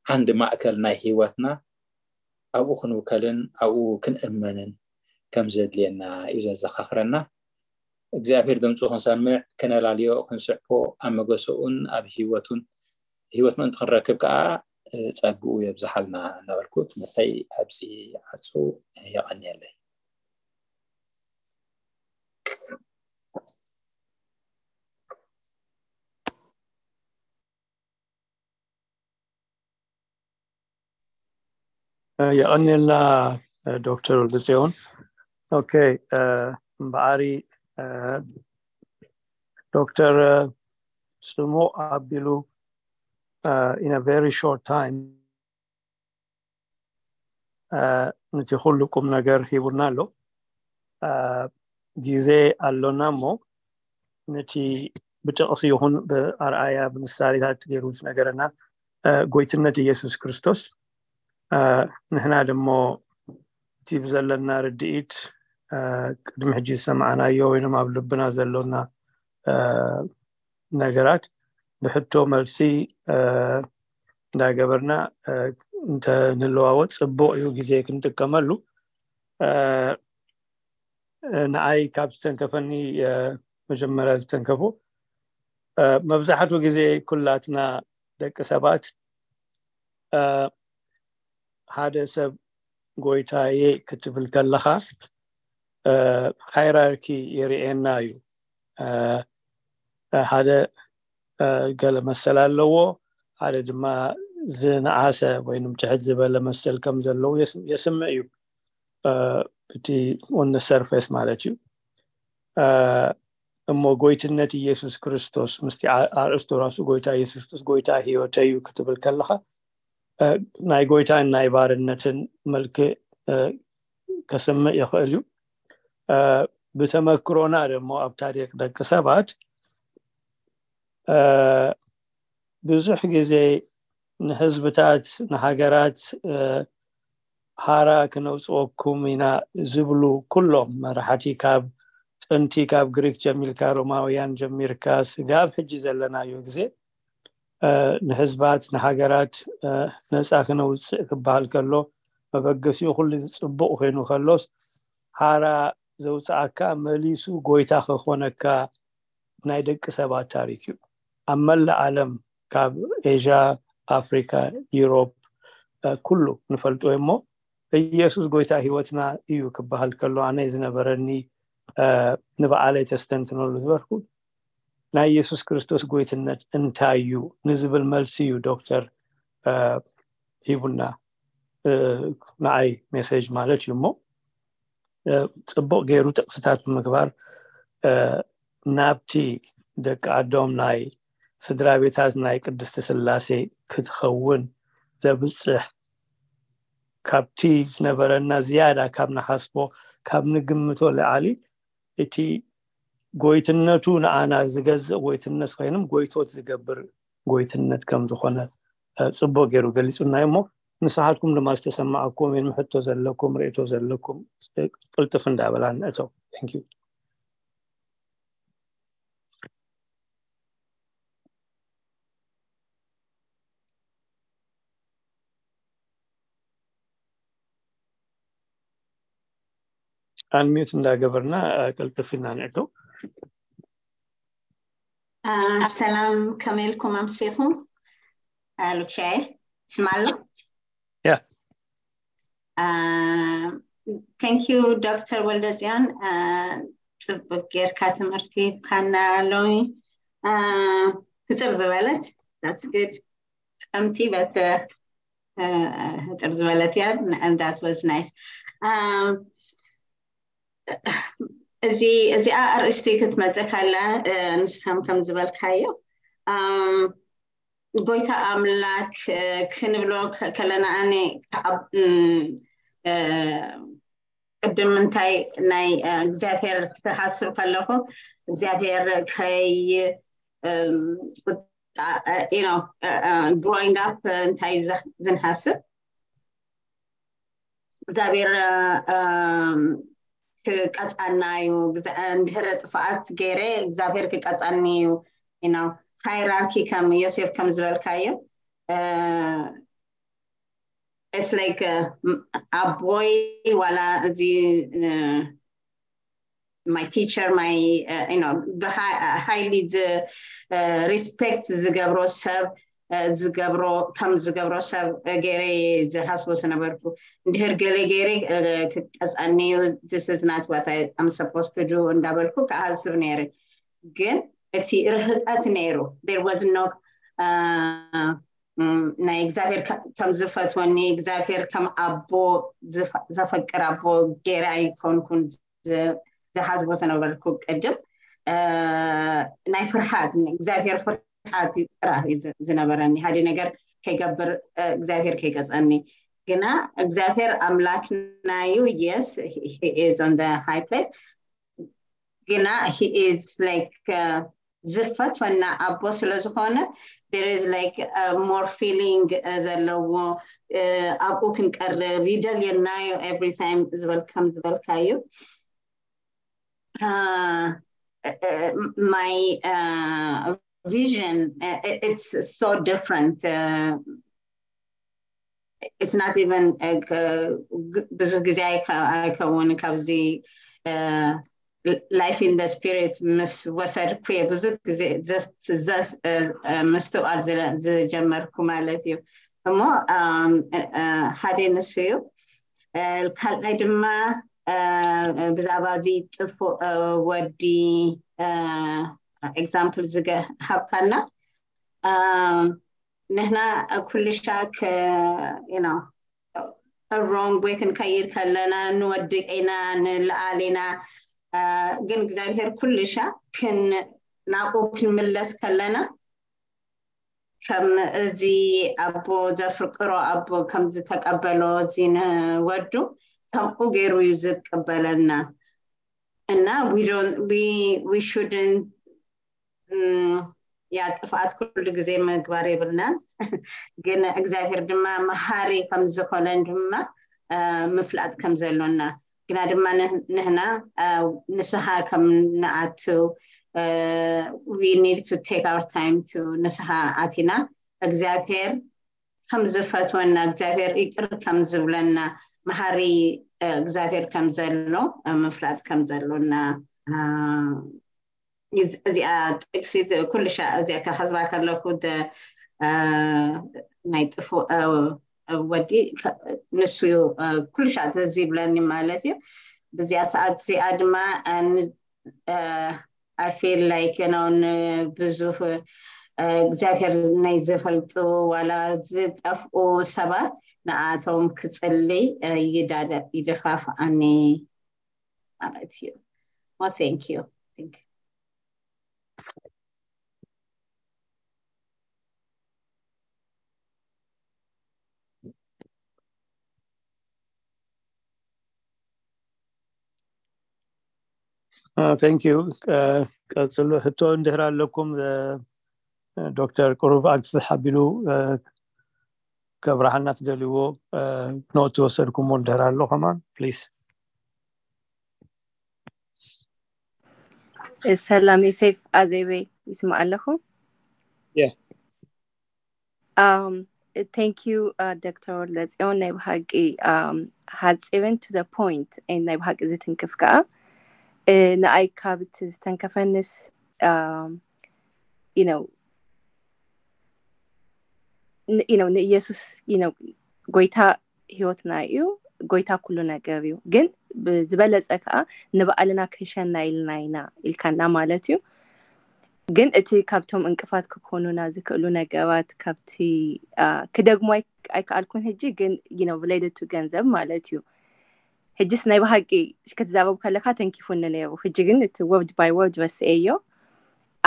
ዓንዲ ማእከል ናይ ህይወትና ኣብኡ ክንውከልን ኣብኡ ክንእመንን ከም ዘድልየና እዩ ዘዘኻኽረና። እግዚኣብሔር ድምፁ ክንሰምዕ፣ ክነላልዮ፣ ክንስዕቦ ኣብ መገሰኡን ኣብ ህይወቱን ህይወት ምእንቲ ክንረክብ ከዓ ጸግኡ የብዝሓልና እናበልኩ ትምህርተይ ኣብዚ ዓፁ። የቐንየለይ። የቐንየልና ዶክተር ወልደፅዮን። ኦኬ፣ እምበኣሪ ዶክተር ስሙ ኣቢሉ in a very short time ነቲ ኩሉ ቁም ነገር ሂቡና ኣሎ። ግዜ ኣሎና እሞ ነቲ ብጥቕሲ ይኹን ብኣርኣያ ብምሳሌታት ገይሩ ዝነገረና ጎይትነት ኢየሱስ ክርስቶስ ንሕና ደሞ እቲ ብዘለና ርድኢት ቅድሚ ሕጂ ዝሰማዕናዮ ወይም ኣብ ልብና ዘሎና ነገራት ብሕቶ መልሲ እንዳገበርና እንተንለዋወጥ ፅቡቕ እዩ። ግዜ ክንጥቀመሉ ንኣይ ካብ ዝተንከፈኒ መጀመርያ ዝተንከፉ መብዛሕትኡ ግዜ ኩላትና ደቂ ሰባት ሓደ ሰብ ጎይታየ ክትብል ከለኻ ሃይራርኪ የርእየና እዩ። ሓደ ገለ መሰል ኣለዎ፣ ሓደ ድማ ዝነኣሰ ወይም ትሕት ዝበለ መሰል ከም ዘለዉ የስምዕ እዩ። እቲ on the surface ማለት እዩ። እሞ ጎይትነት ኢየሱስ ክርስቶስ ምስቲ ኣርእስቱ ራሱ ጎይታ ኢየሱስ ክርስቶስ ጎይታ ህይወተይ እዩ ክትብል ከለኻ ናይ ጎይታን ናይ ባርነትን መልክዕ ከስምዕ ይኽእል እዩ። ብተመክሮና ደሞ ኣብ ታሪክ ደቂ ሰባት ብዙሕ ግዜ ንህዝብታት ንሃገራት ሃራ ክነውፅወኩም ኢና ዝብሉ ኩሎም መራሕቲ ካብ ጥንቲ ካብ ግሪክ ጀሚርካ፣ ሮማውያን ጀሚርካ፣ ስጋብ ሕጂ ዘለናዮ ግዜ ንሕዝባት ንሃገራት ነፃ ክነውፅእ ክበሃል ከሎ መበገሲኡ ኩሉ ፅቡቕ ኮይኑ ከሎስ ሓራ ዘውፅኣካ መሊሱ ጎይታ ከኾነካ ናይ ደቂ ሰባት ታሪክ እዩ። ኣብ መላእ ዓለም ካብ ኤዥያ፣ ኣፍሪካ፣ ዩሮፕ ኩሉ ንፈልጦ እሞ ኢየሱስ ጎይታ ህይወትና እዩ ክበሃል ከሎ ኣነ ዝነበረኒ ንበዓለይ ተስተንትነሉ ዝበርኩ ናይ ኢየሱስ ክርስቶስ ጎይትነት እንታይ እዩ ንዝብል መልሲ እዩ ዶክተር ሂቡና ንዓይ ሜሴጅ ማለት እዩ እሞ ፅቡቕ ገይሩ ጥቕስታት ብምግባር ናብቲ ደቂ ኣዶም ናይ ስድራ ቤታት ናይ ቅድስቲ ስላሴ ክትኸውን ዘብፅሕ ካብቲ ዝነበረና ዝያዳ ካብ ንሓስቦ ካብ ንግምቶ ልዓሊ እቲ ጎይትነቱ ንኣና ዝገዝእ ጎይትነት ኮይንም ጎይቶት ዝገብር ጎይትነት ከም ዝኾነ ፅቡቅ ገይሩ ገሊፁና እሞ ንስሓትኩም ድማ ዝተሰማዕኩም ወይ ሕቶ ዘለኩም ርእቶ ዘለኩም ቅልጥፍ እንዳበላ ንእቶ። ኣንሚዩት እንዳገበርና ቅልጥፍ ኢና ንእቶ። ሰላም፣ ከመይ ኢልኩም ኣምሲኹም? ሉቻይ ስማሎ ያ thank you ዶክተር ወልደፅዮን፣ ፅቡቅ ጌርካ ትምህርቲ ካና ሎሚ። ህፅር ዝበለት that's good። ጠምቲ በት ህፅር ዝበለት እያ። That was nice። እዚ እዚኣ ኣርእስቲ ክትመፀ ካላ ንስኻም ከም ዝበልካዮ ጎይታ ኣምላክ ክንብሎ ከለና ኣነ ቅድም እንታይ ናይ እግዚኣብሔር ክሓስብ ከለኹ እግዚኣብሔር ከይ growing up እንታይ ዝንሓስብ እግዚኣብሔር ክቀፃና እዩ። እንድሕረ ጥፍኣት ገይረ እግዚኣብሔር ክቀፃኒ እዩ። ሃይራርኪ ከም ዮሴፍ ከም ዝበልካዮ it's like ኣቦይ ዋላ እዚ my teacher my highly respect ዝገብሮ ሰብ ዝገብሮ ከም ዝገብሮ ሰብ ገይረ ዝሓስቦ ዝነበርኩ። እንድሕር ገለ ገይረ ክቀፀኒ እዩ this is not what I'm supposed to do እንዳበልኩ ክሓስብ ነይረ። ግን እቲ ርህቀት ነይሩ። There was no ናይ እግዚኣብሔር ከም ዝፈትወኒ እግዚኣብሔር ከም ኣቦ ዘፈቅር ኣቦ ገይረ ኣይኮንኩን ዝሓስቦ ዝነበርኩ ቅድም ናይ ፍርሃት እግዚኣብሔር ፍርሃት ጥራሕ ዝነበረኒ ሓደ ነገር ከይገብር እግዚኣብሔር ከይቀፀኒ ግና እግዚኣብሔር ኣምላክና እዩ። Yes, he is on the high place ግና he is like ዝፈትወና ኣቦ ስለ ዝኾነ there is like more feeling ዘለዎ ኣብኡ ክንቀርብ ይደልየናዮ every time ዝበል ከም ዝበልካዩ my vision it's so different it's not even ብዙ ግዜ ኣይከውን ካብዚ life in the spirit ምስ ወሰድኩ እየ ብዙ ግዜ ምስትውዓል ዝጀመርኩ ማለት እዩ። እሞ ሓደ ንሱ እዩ። ካልኣይ ድማ ብዛዕባ እዚ ጥፉእ ወዲ example ዝሃብካና ንሕና ኩልሻ wrong way ክንከይድ ከለና ንወድቅ ኢና ንለዓል ኢና። ግን እግዚኣብሔር ኩልሻ ክን ናብኡ ክንምለስ ከለና ከም እዚ ኣቦ ዘፍቅሮ ኣቦ ከም ዝተቀበሎ እዚ ንወዱ ከምኡ ገይሩ እዩ ዝቀበለና እና we don't we we shouldn't ያ ጥፍኣት ኩሉ ግዜ ምግባር የብልናን። ግን እግዚኣብሔር ድማ መሃሪ ከም ዝኾነን ድማ ምፍላጥ ከም ዘሎና ግና ድማ ንህ- ንህና እ፣ ንስሓ ከም ንኣቱ we need to take our time to ንስሓ ኣቲና እግዚኣብሔር ከም ዝፈትወና እግዚኣብሔር ይቅር ከም ዝብለና መሃሪ እ፣ እግዚኣብሔር ከም ዘሎ እ፣ ምፍላጥ ከም ዘሎና እ፣ እዚኣ ጥቅሲ ኩሉ ሻዕ እዚኣ ከሕዝባ ከለኩ ናይ ጥፉ ወዲ ንሱ ኩሉ ሻዕ ትዝ ይብለኒ ማለት እዩ። ብዚኣ ሰዓት እዚኣ ድማ I feel like you know ብዙህ እግዚኣብሔር ናይ ዝፈልጡ ዋላ ዝጠፍኡ ሰባት ንኣቶም ክጽልይ ይደፋፍኣኒ ማለት እዩ። Well, thank you. Thank you. Thank you. ቀፅሉ ሕቶ እንድሕር ኣለኩም ዶክተር ቅሩብ ኣግፍሕ ኣቢሉ ከብርሃና ትደልይዎ ኖት ትወሰድኩሞ እንድሕር ኣሎ ከማን please. ሰላም ዮሴፍ ኣዜበይ ይስማዕ ኣለኹ። Yeah. Um, thank you uh, ዶክተር ወልደፅዮን ናይ ብሓቂ um, ሓፂርን to the point and ናይ ብሓቂ ዝትንክፍ ከዓ uh, ንኣይ ካብ እቲ ዝተንከፈንስ um, you know you know ንኢየሱስ you know ጎይታ ህይወትና እዩ ጎይታ ኩሉ ነገር እዩ ግን ዝበለፀ ከዓ ንባዕልና ክንሸና ኢልና ኢና ኢልካና ማለት እዩ ግን እቲ ካብቶም እንቅፋት ክኮኑና ዝክእሉ ነገራት ካብቲ ክደግሞ ኣይከኣልኩን ህጂ ግን you know related to ገንዘብ ማለት እዩ ሕጅስ ናይ ብሃቂ ክትዛረብ ከለካ ተንኪፉኒ ነይሩ ሕጂ ግን እቲ word by word ረስኤዮ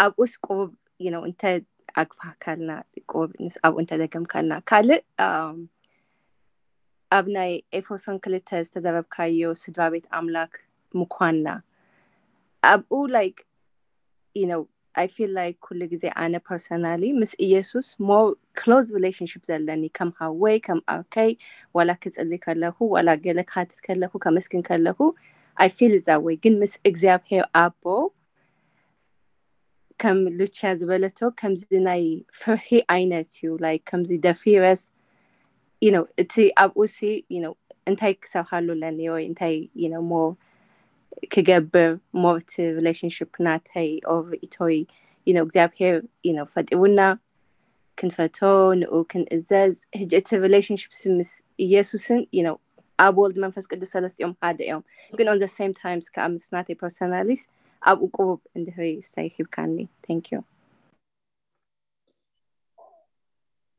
ኣብኡስ ቁሩብ you know እንተ ኣግፋካልና ቁሩብ ኣብኡ እንተ ደገምካልና ካልእ ኣብ ናይ ኤፌሶን ክልተ ዝተዘረብካዮ ስድራ ቤት ኣምላክ ምኳንና ኣብኡ like you know I feel like ኩሉ ግዜ ኣነ personally ምስ ኢየሱስ more close relationship ዘለኒ ከም ሃወይ ከም ኣከይ ዋላ ክፅሊ ከለኩ ዋላ ገለ ክሃትት ከለኩ ከመስግን ከለኩ I feel that way ግን ምስ እግዚኣብሔር ኣቦ ከም ሉቻ ዝበለቶ ከምዚ ናይ ፍርሒ ዓይነት እዩ like ከምዚ ደፊረስ you know እቲ ኣብኡ ሲ you know እንታይ ክሰርሃሉ ኣለኒ ወይ እንታይ you know more ክገብር more እቲ relationship ናተይ or ርእቶይ you know እግዚኣብሔር you know ፈጢሩና ክንፈቶ ንኡ ክንእዘዝ ህጂ እቲ relationship ምስ ኢየሱስን you know ኣብ ወልድ መንፈስ ቅዱስ ሰለስቲኦም ሓደ እዮም ግን on the same times ከዓ ምስ ናተይ personally ኣብኡ ቁሩብ እንድህሪ ስታይ ሂብካኒ thank you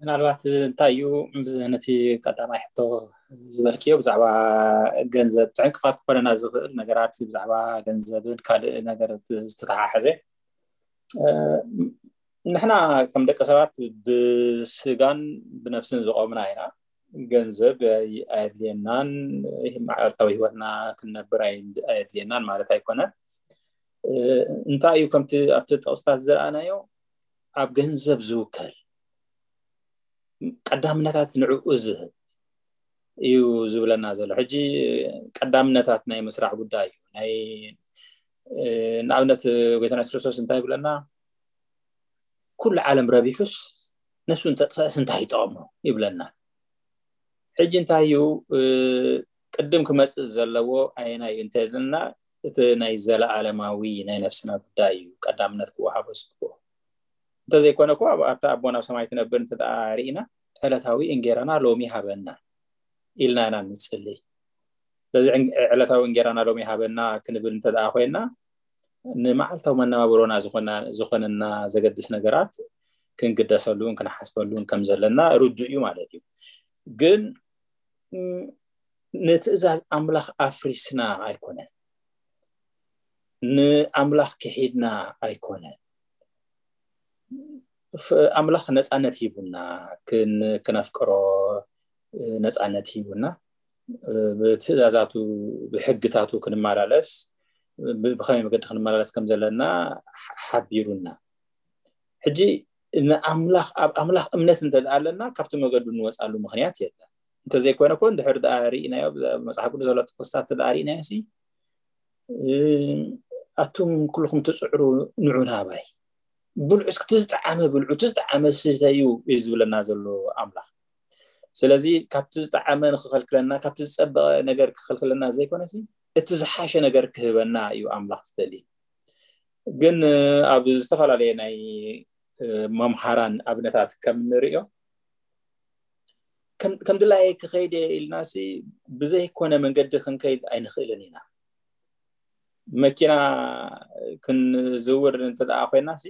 ምናልባት እንታይ እዩ ነቲ ቀዳማይ ሕቶ ዝበልክዮ ብዛዕባ ገንዘብ ዕንቅፋት ክኾነና ዝኽእል ነገራት ብዛዕባ ገንዘብን ካልእ ነገር ዝተተሓሐዘ ንሕና ከም ደቂ ሰባት ብስጋን ብነፍስን ዝቆምና ኢና ገንዘብ ኣየድልየናን መዓልታዊ ህይወትና ክንነብር ኣየድልየናን ማለት ኣይኮነን እንታይ እዩ ከምቲ ኣብቲ ጥቕስታት ዝረኣናዮ ኣብ ገንዘብ ዝውከል ቀዳምነታት ንዕኡ ዝህብ እዩ ዝብለና ዘሎ ሕጂ ቀዳምነታት ናይ ምስራዕ ጉዳይ እዩ ናይ ንኣብነት ጎይታና የሱስ ክርስቶስ እንታይ ይብለና ኩሉ ዓለም ረቢሑስ ነፍሱ እንተጥፈእስ እንታይ ይጠቕሞ ይብለና ሕጂ እንታይ እዩ ቅድም ክመፅእ ዘለዎ ኣየናይ እዩ እንተልና እቲ ናይ ዘለኣለማዊ ናይ ነፍስና ጉዳይ እዩ ቀዳምነት ክወሃቦ ዝግብኦ እንተዘይኮነ እኮ ኣብታ ኣቦ ናብ ሰማይ ትነብር እንተ ርኢና ዕለታዊ እንጌራና ሎሚ ሃበና ኢልና ኢና ንፅሊ ስለዚ ዕለታዊ እንጌራና ሎሚ ሃበና ክንብል እንተ ኮይና ንመዓልታዊ መነባብሮና ዝኾነና ዘገድስ ነገራት ክንግደሰሉን ክንሓስበሉን ከም ዘለና ርዱ እዩ ማለት እዩ ግን ንትእዛዝ ኣምላኽ ኣፍሪስና ኣይኮነን ንኣምላኽ ክሒድና ኣይኮነን ኣምላኽ ነፃነት ሂቡና ክነፍቅሮ ነፃነት ሂቡና ብትእዛዛቱ ብሕግታቱ ክንመላለስ ብከመይ መገዲ ክንመላለስ ከም ዘለና ሓቢሩና ሕጂ ንኣምላኽ ኣብ ኣምላኽ እምነት እንተ ኣለና ካብቲ መገዱ ንወፃሉ ምክንያት የለን እንተዘይኮነ ኮ እንድሕር ደኣ ርኢናዮ፣ መጽሓፍ ቅዱስ ዘሎ ጥቕስታት ደኣ ርኢናዮ ሲ ኣቱም ኩልኹም ትፅዕሩ ንዑ ናባይ፣ ብልዑ እስኪ፣ እቲ ዝጠዓመ ብልዑ፣ እቲ ዝጠዓመ ስተዩ እዩ ዝብለና ዘሎ ኣምላኽ። ስለዚ ካብቲ ዝጠዓመ ንክኸልክለና፣ ካብቲ ዝፀበቐ ነገር ክኸልክለና ዘይኮነሲ፣ እቲ ዝሓሸ ነገር ክህበና እዩ ኣምላኽ ዝደሊ። ግን ኣብ ዝተፈላለየ ናይ መምሃራን ኣብነታት ከም ንሪኦ፣ ከም ድላየ ክኸይድ ኢልና ሲ ብዘይኮነ መንገዲ ክንከይድ ኣይንኽእልን ኢና። መኪና ክንዝውር እንተ ደኣ ኮይና ሲ፣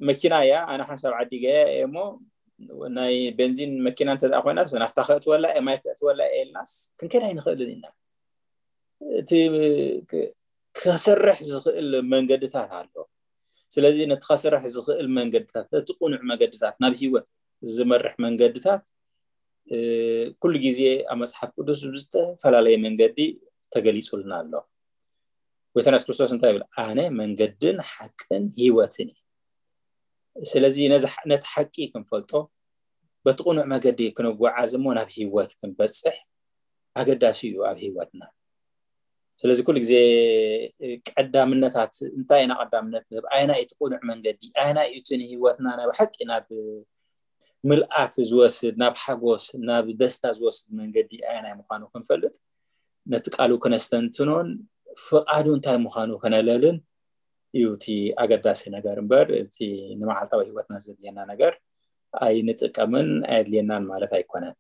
መኪና እያ፣ ኣነ ሓንሳብ ዓዲገ እየ እሞ፣ ናይ ቤንዚን መኪና እንተ ደኣ ኮይና፣ ናፍታ ከእትወላ እየ፣ ማይ ከእትወላ እየ ኢልናስ ክንከይድ ኣይንኽእልን ኢና። እቲ ክ- ክሰርሕ ዝኽእል መንገድታት ኣሎ። ስለዚ ነቲ ከሰርሕ ዝኽእል መንገድታት፣ ነቲ ቁኑዕ መንገድታት፣ ናብ ህይወት ዝመርሕ መንገድታት ኩሉ ግዜ ኣብ መጽሓፍ ቅዱስ ብዝተፈላለየ መንገዲ ተገሊጹልና ኣሎ። ጎይታና የሱስ ክርስቶስ እንታይ ይብል? ኣነ መንገድን ሓቅን ህይወትን እየ። ስለዚ ነዚ ነቲ ሓቂ ክንፈልጦ፣ በቲ ቅኑዕ መገዲ ክንጓዓዝ እሞ ናብ ህይወት ክንበጽሕ ኣገዳሲ እዩ ኣብ ህይወትና። ስለዚ ኩሉ ግዜ ቀዳምነታት እንታይ ኢና ቀዳምነት ንህብ? ኣየናይ እቲ ቅኑዕ መንገዲ? ኣየናይ እቲ ንህይወትና ናብ ሓቂ ናብ ምልኣት ዝወስድ፣ ናብ ሓጎስ፣ ናብ ደስታ ዝወስድ መንገዲ ኣየናይ ምዃኑ ክንፈልጥ፣ ነቲ ቃሉ ክነስተንትኖን ፍቓዱ እንታይ ምዃኑ ከነለልን እዩ እቲ ኣገዳሲ ነገር እምበር፣ እቲ ንመዓልታዊ ህይወትና ዘድልየና ነገር ኣይንጥቀምን ኣየድልየናን ማለት ኣይኮነን።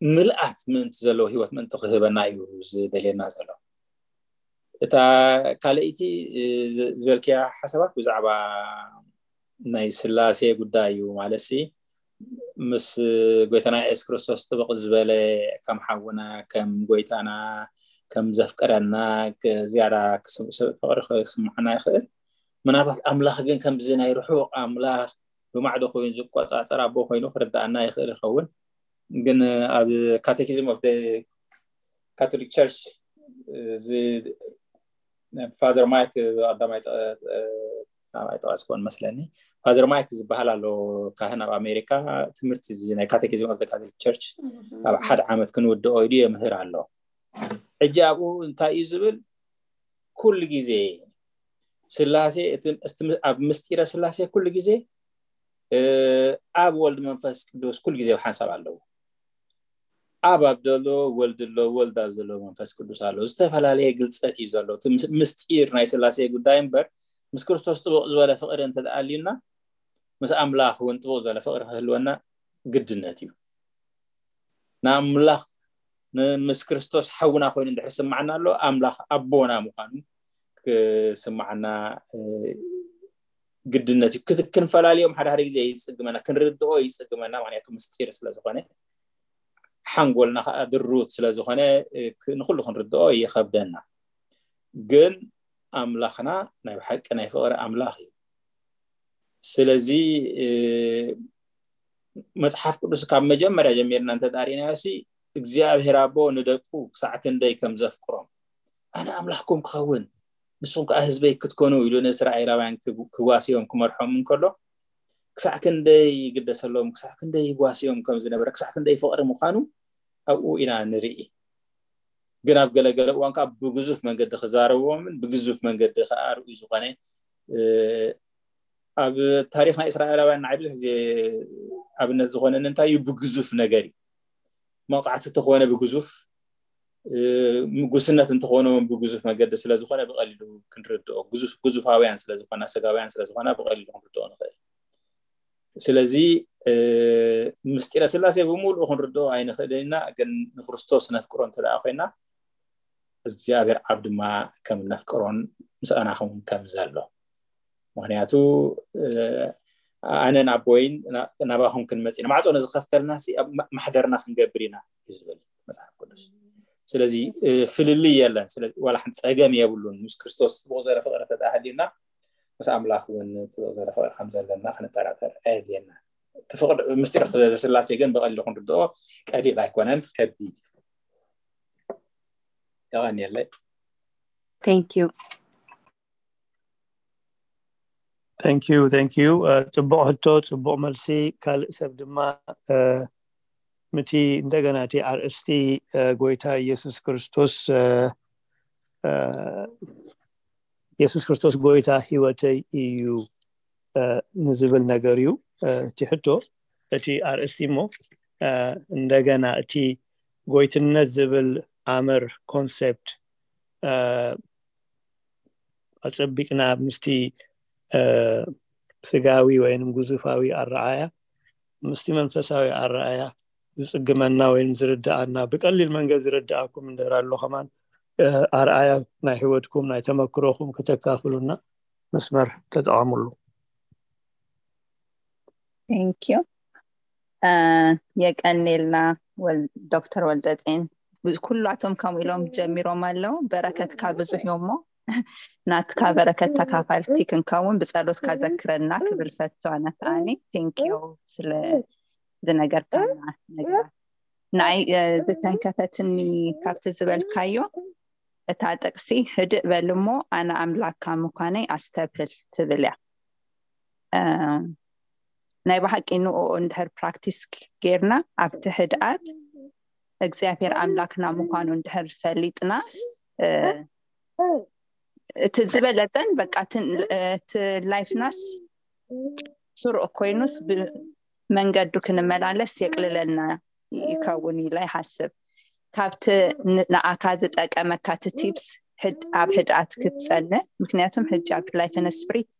ምልኣት ምእንቲ ዘለዎ ህይወት ምእንቲ ክህበና እዩ ዝደልየና ዘሎ። እታ ካልኣይቲ ዝበልክያ ሓሳባት ብዛዕባ ናይ ስላሴ ጉዳይ እዩ። ማለትሲ ምስ ጎይታና የሱስ ክርስቶስ ጥብቕ ዝበለ፣ ከም ሓውና፣ ከም ጎይታና፣ ከም ዘፍቀረና፣ ዝያዳ ፍቕሪ ክስምዓና ይኽእል። ምናልባት ኣምላኽ ግን ከምዚ ናይ ርሑቕ ኣምላኽ ብማዕዶ ኮይኑ ዝቆጻጸር ኣቦ ኮይኑ ክርዳኣና ይኽእል ይኸውን። ግን ኣብ ካቴኪዝም ኦፍ ካቶሊክ ቸርች እዚ ፋዘር ማይክ ቀዳማይ ጠቀስ ኮን መስለኒ፣ ፋዘር ማይክ ዝበሃል ኣሎ፣ ካህን ኣብ ኣሜሪካ፣ ትምህርቲ እዚ ናይ ካቴኪዝም ኦፍ ካቶሊክ ቸርች ኣብ ሓደ ዓመት ክንውድኦ ኢሉ የምህር ኣሎ። ሕጂ ኣብኡ እንታይ እዩ ዝብል? ኩሉ ግዜ ስላሴ፣ ኣብ ምስጢረ ስላሴ ኩሉ ግዜ ኣብ ወልድ መንፈስ ቅዱስ ኩሉ ግዜ ሓንሳብ ኣለዉ። ኣብ ኣብ ዘሎ ወልድ ኣሎ፣ ወልድ ኣብ ዘሎ መንፈስ ቅዱስ ኣሎ። ዝተፈላለየ ግልፀት እዩ ዘሎ እቲ ምስጢር ናይ ስላሴ ጉዳይ እምበር፣ ምስ ክርስቶስ ጥቡቕ ዝበለ ፍቕሪ እንተደኣልዩና፣ ምስ ኣምላኽ እውን ጥቡቕ ዝበለ ፍቕሪ ክህልወና ግድነት እዩ። ንኣምላኽ ምስ ክርስቶስ ሓውና ኮይኑ እንድሕር ስምዓና ኣሎ፣ ኣምላኽ ኣቦና ምዃኑ ክስምዓና ግድነት እዩ። ክንፈላልዮም ሓደ ሓደ ግዜ ይፅግመና፣ ክንርድኦ ይፅግመና። ምክንያቱ ምስጢር ስለዝኾነ፣ ሓንጎልና ከዓ ድሩት ስለዝኾነ ንኩሉ ክንርድኦ ይኸብደና። ግን ኣምላኽና ናይ ብሓቂ ናይ ፍቕሪ ኣምላኽ እዩ። ስለዚ መፅሓፍ ቅዱስ ካብ መጀመርያ ጀሚርና እንተዳሪናዮ ሲ፣ እግዚኣብሔር ኣቦ ንደቁ ክሳዕ ክንደይ ከም ዘፍቅሮም፣ ኣነ ኣምላኽኩም ክኸውን ንስኹም ከዓ ህዝበይ ክትኮኑ ኢሉ ንእስራኤላውያን ክዋስዮም ክመርሖም እንከሎ፣ ክሳዕ ክንደይ ይግደሰሎም፣ ክሳዕ ክንደይ ይጓስዮም ከም ዝነበረ፣ ክሳዕ ክንደይ ፍቕሪ ምዃኑ ኣብኡ ኢና ንርኢ። ግን ኣብ ገለገለ እዋን ከዓ ብግዙፍ መንገዲ ክዛረቦምን ብግዙፍ መንገዲ ከዓ ርኡይ ዝኾነ ኣብ ታሪክ ናይ እስራኤላውያን ንዓይ ብዙሕ ግዜ ኣብነት ዝኾነኒ እንታይ እዩ? ብግዙፍ ነገር እዩ። መቕፃዕቲ እንተኾነ ብግዙፍ፣ ጉስነት እንተኾነ እውን ብግዙፍ መገዲ ስለዝኾነ ብቐሊሉ ክንርድኦ፣ ግዙፍ ግዙፋውያን ስለዝኾና፣ ስጋውያን ስለዝኾና ብቐሊሉ ክንርድኦ ንኽእል። ስለዚ ምስጢረ ስላሴ ብምሉኡ ክንርድኦ ኣይንኽእልን ኢና፣ ግን ንክርስቶስ ነፍቅሮ እንተ ደኣ ኮይና እግዚኣብሔር ኣብ ድማ ከም ነፍቅሮን ምስኣና ከም ከም ዘሎ። ምክንያቱ ኣነን ኣቦይን ናባኹም ክንመጽእ ኢና። ማዕጾ ነዝኸፍተልና ሲ ኣብ ማሕደርና ክንገብር ኢና እዩ ዝብል መጽሓፍ ቅዱስ። ስለዚ ፍልልይ የለን። ስለዚ ዋላ ሓንቲ ጸገም የብሉን። ምስ ክርስቶስ ጽቡቕ ዘረ ፍቕሪ ተዳሃልዩና ምስ ኣምላኽ እውን ጽቡቕ ዘረ ፍቕሪ ከም ዘለና ክንጠራጠር ኣየድልየና። እቲ ፍቕሪ ምስጢር ስላሴ ግን ብቐሊሉ ክንርድኦ ቀሊል ኣይኮነን፣ ከቢድ እዩ። የቐንየለይ። Thank you። Thank you, thank you. ጽቡቕ ሕቶ፣ ጽቡቕ መልሲ። ካልእ ሰብ ድማ ምቲ እንደገና እቲ ኣርእስቲ ጎይታ ኢየሱስ ክርስቶስ ኢየሱስ ክርስቶስ ጎይታ ህይወተይ እዩ ንዝብል ነገር እዩ እቲ ሕቶ፣ እቲ ኣርእስቲ። እሞ እንደገና እቲ ጎይትነት ዝብል ኣምር፣ ኮንሰፕት፣ ኣጸቢቅና ምስቲ ስጋዊ ወይም ግዙፋዊ ኣረኣያ ምስቲ መንፈሳዊ ኣረኣያ ዝጽግመና ወይም ዝርድኣና፣ ብቀሊል መንገዲ ዝርድኣኩም እንድሕር ኣሎ ከማን ኣርኣያ ናይ ህይወትኩም ናይ ተመክሮኹም ከተካፍሉና መስመር ተጠቐምሉ። Thank you። የቀኔልና ዶክተር ወልደጤን። ኩላቶም ከምኡ ኢሎም ጀሚሮም ኣለዉ። በረከትካ ብዙሕ እዩ እሞ ናትካ በረከት ተካፋልቲ ክንከውን ብጸሎትካ ዘክረና ክብል ፈቱ። ኣነ ከኣኒ thank you ስለ ዝነገርካና ነገር። ንኣይ ዝተንከፈትኒ ካብቲ ዝበልካዮ እታ ጥቅሲ፣ ህድእ በል እሞ ኣነ ኣምላክካ ምዃነይ ኣስተብህል ትብል እያ። ናይ ብሓቂ ንኡ እንድሕር ፕራክቲስ ጌርና ኣብቲ ህድኣት እግዚኣብሔር ኣምላክና ምዃኑ እንድሕር ፈሊጥናስ እቲ ዝበለፀን በቃ እቲ ላይፍናስ ስሩዕ ኮይኑስ ብመንገዱ ክንመላለስ የቅልለልና ይከውን ኢለ ይሓስብ። ካብቲ ንኣካ ዝጠቀመካ እቲ ቲፕስ ኣብ ህድኣት ክትፀንእ፣ ምክንያቱም ሕጂ ኣብ ላይፍ ን ስፕሪት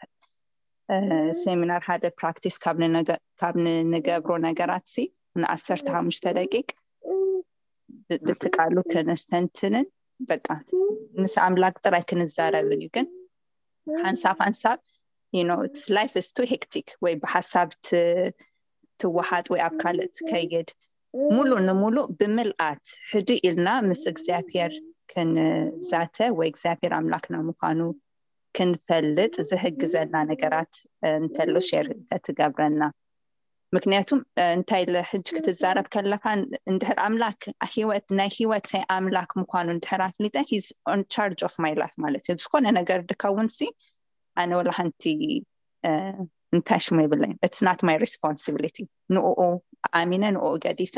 ሴሚናር ሓደ ፕራክቲስ ካብ ንገብሮ ነገራት ሲ ንዓሰርተ ሓሙሽተ ደቂቅ ብትቃሉ ከነስተንትንን በቃ ምስ ኣምላክ ጥራይ ክንዛረብን እዩ። ግን ሓንሳብ ሓንሳብ you know it's life is too hectic ወይ ብሓሳብ ትወሓጥ ወይ ኣብ ካልእ ትከይድ፣ ሙሉ ንሙሉ ብምልኣት ህድእ ኢልና ምስ እግዚኣብሔር ክንዛተ ወይ እግዚኣብሔር ኣምላክና ምዃኑ ክንፈልጥ ዝሕግዘና ነገራት እንተሎ ሼር እንተትገብረና። ምክንያቱም እንታይ ኢለ ሕጂ ክትዛረብ ከለካ እንድሕር ኣምላክ ህይወት ናይ ህይወተይ ኣምላክ ምዃኑ እንድሕር ኣፍሊጠ he's on charge of my life ማለት እዩ። ዝኾነ ነገር ድከውን ሲ ኣነ ወላ ሓንቲ እንታይ ሽሙ የብለይን። It's not my responsibility። ንኡ ኣሚነ ንኡ ገዲፈ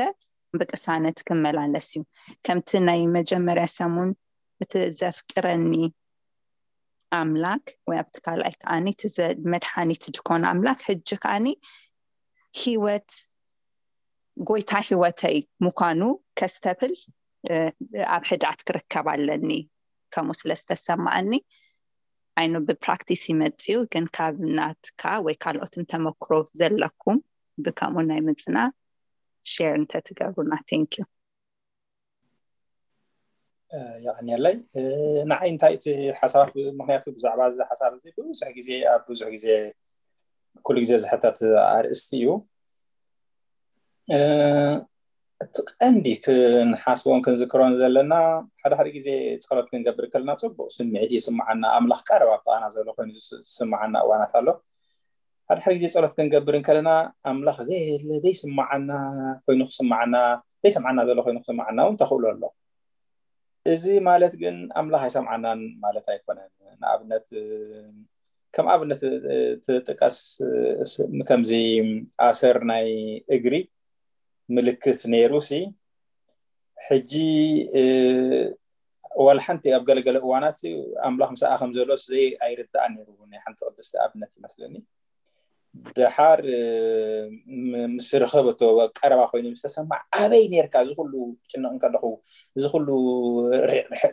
ብቅሳነት ክመላለስ እዩ። ከምቲ ናይ መጀመርያ ሰሙን እቲ ዘፍቅረኒ ኣምላክ ወይ ኣብቲ ካልኣይ ከዓኒ እቲ መድሓኒት ድኮነ ኣምላክ ሕጂ ከዓኒ ህይወት ጎይታ ህይወተይ ምዃኑ ከስተብል ኣብ ህድኣት ክርከብ ኣለኒ ከምኡ ስለ ዝተሰማዓኒ። ኣይኑ ብፕራክቲስ ይመፅዩ ግን ካብ ናትካ ወይ ካልኦትን ተመክሮ ዘለኩም ብከምኡ ናይ ምፅና ሼር እንተትገብሩና። Thank you። የቀንየለይ። ንዓይ እንታይ እቲ ሓሳባት፣ ምክንያቱ ብዛዕባ እዚ ሓሳብ እዚ ብዙሕ ግዜ ኣብ ብዙሕ ግዜ ኩሉ ግዜ ዝሕተት ኣርእስቲ እዩ። እቲ ቀንዲ ክንሓስቦን ክንዝክሮን ዘለና ሓደ ሓደ ግዜ ጸሎት ክንገብር ከለና ጽቡቕ ስምዒት ይስምዓና፣ ኣምላኽ ቀረብ ኣብ ጥቓና ዘሎ ኮይኑ ዝስምዓና እዋናት ኣሎ። ሓደ ሓደ ግዜ ጸሎት ክንገብር እንከለና ኣምላኽ ዘየለ ዘይስምዓና ኮይኑ ክስምዓና፣ ዘይሰምዓና ዘሎ ኮይኑ ክስምዓና እውን ተኽእሎ ኣሎ። እዚ ማለት ግን ኣምላኽ ኣይሰምዓናን ማለት ኣይኮነን። ንኣብነት ከም ኣብነት ትጥቀስ ከምዚ ኣሰር ናይ እግሪ ምልክት ነይሩ ሲ ሕጂ ዋላ ሓንቲ ኣብ ገለገለ እዋናት ኣምላኽ ምስኣ ከም ዘሎ ዘይ ኣይርዳእን ነይሩ። ናይ ሓንቲ ቅድስቲ ኣብነት ይመስለኒ። ደሓር ምስ ረኸበቶ ቀረባ ኮይኑ ምስ ተሰማዕ ኣበይ ነርካ እዚ ኩሉ ጭነቕ እንከለኹ እዚ ኩሉ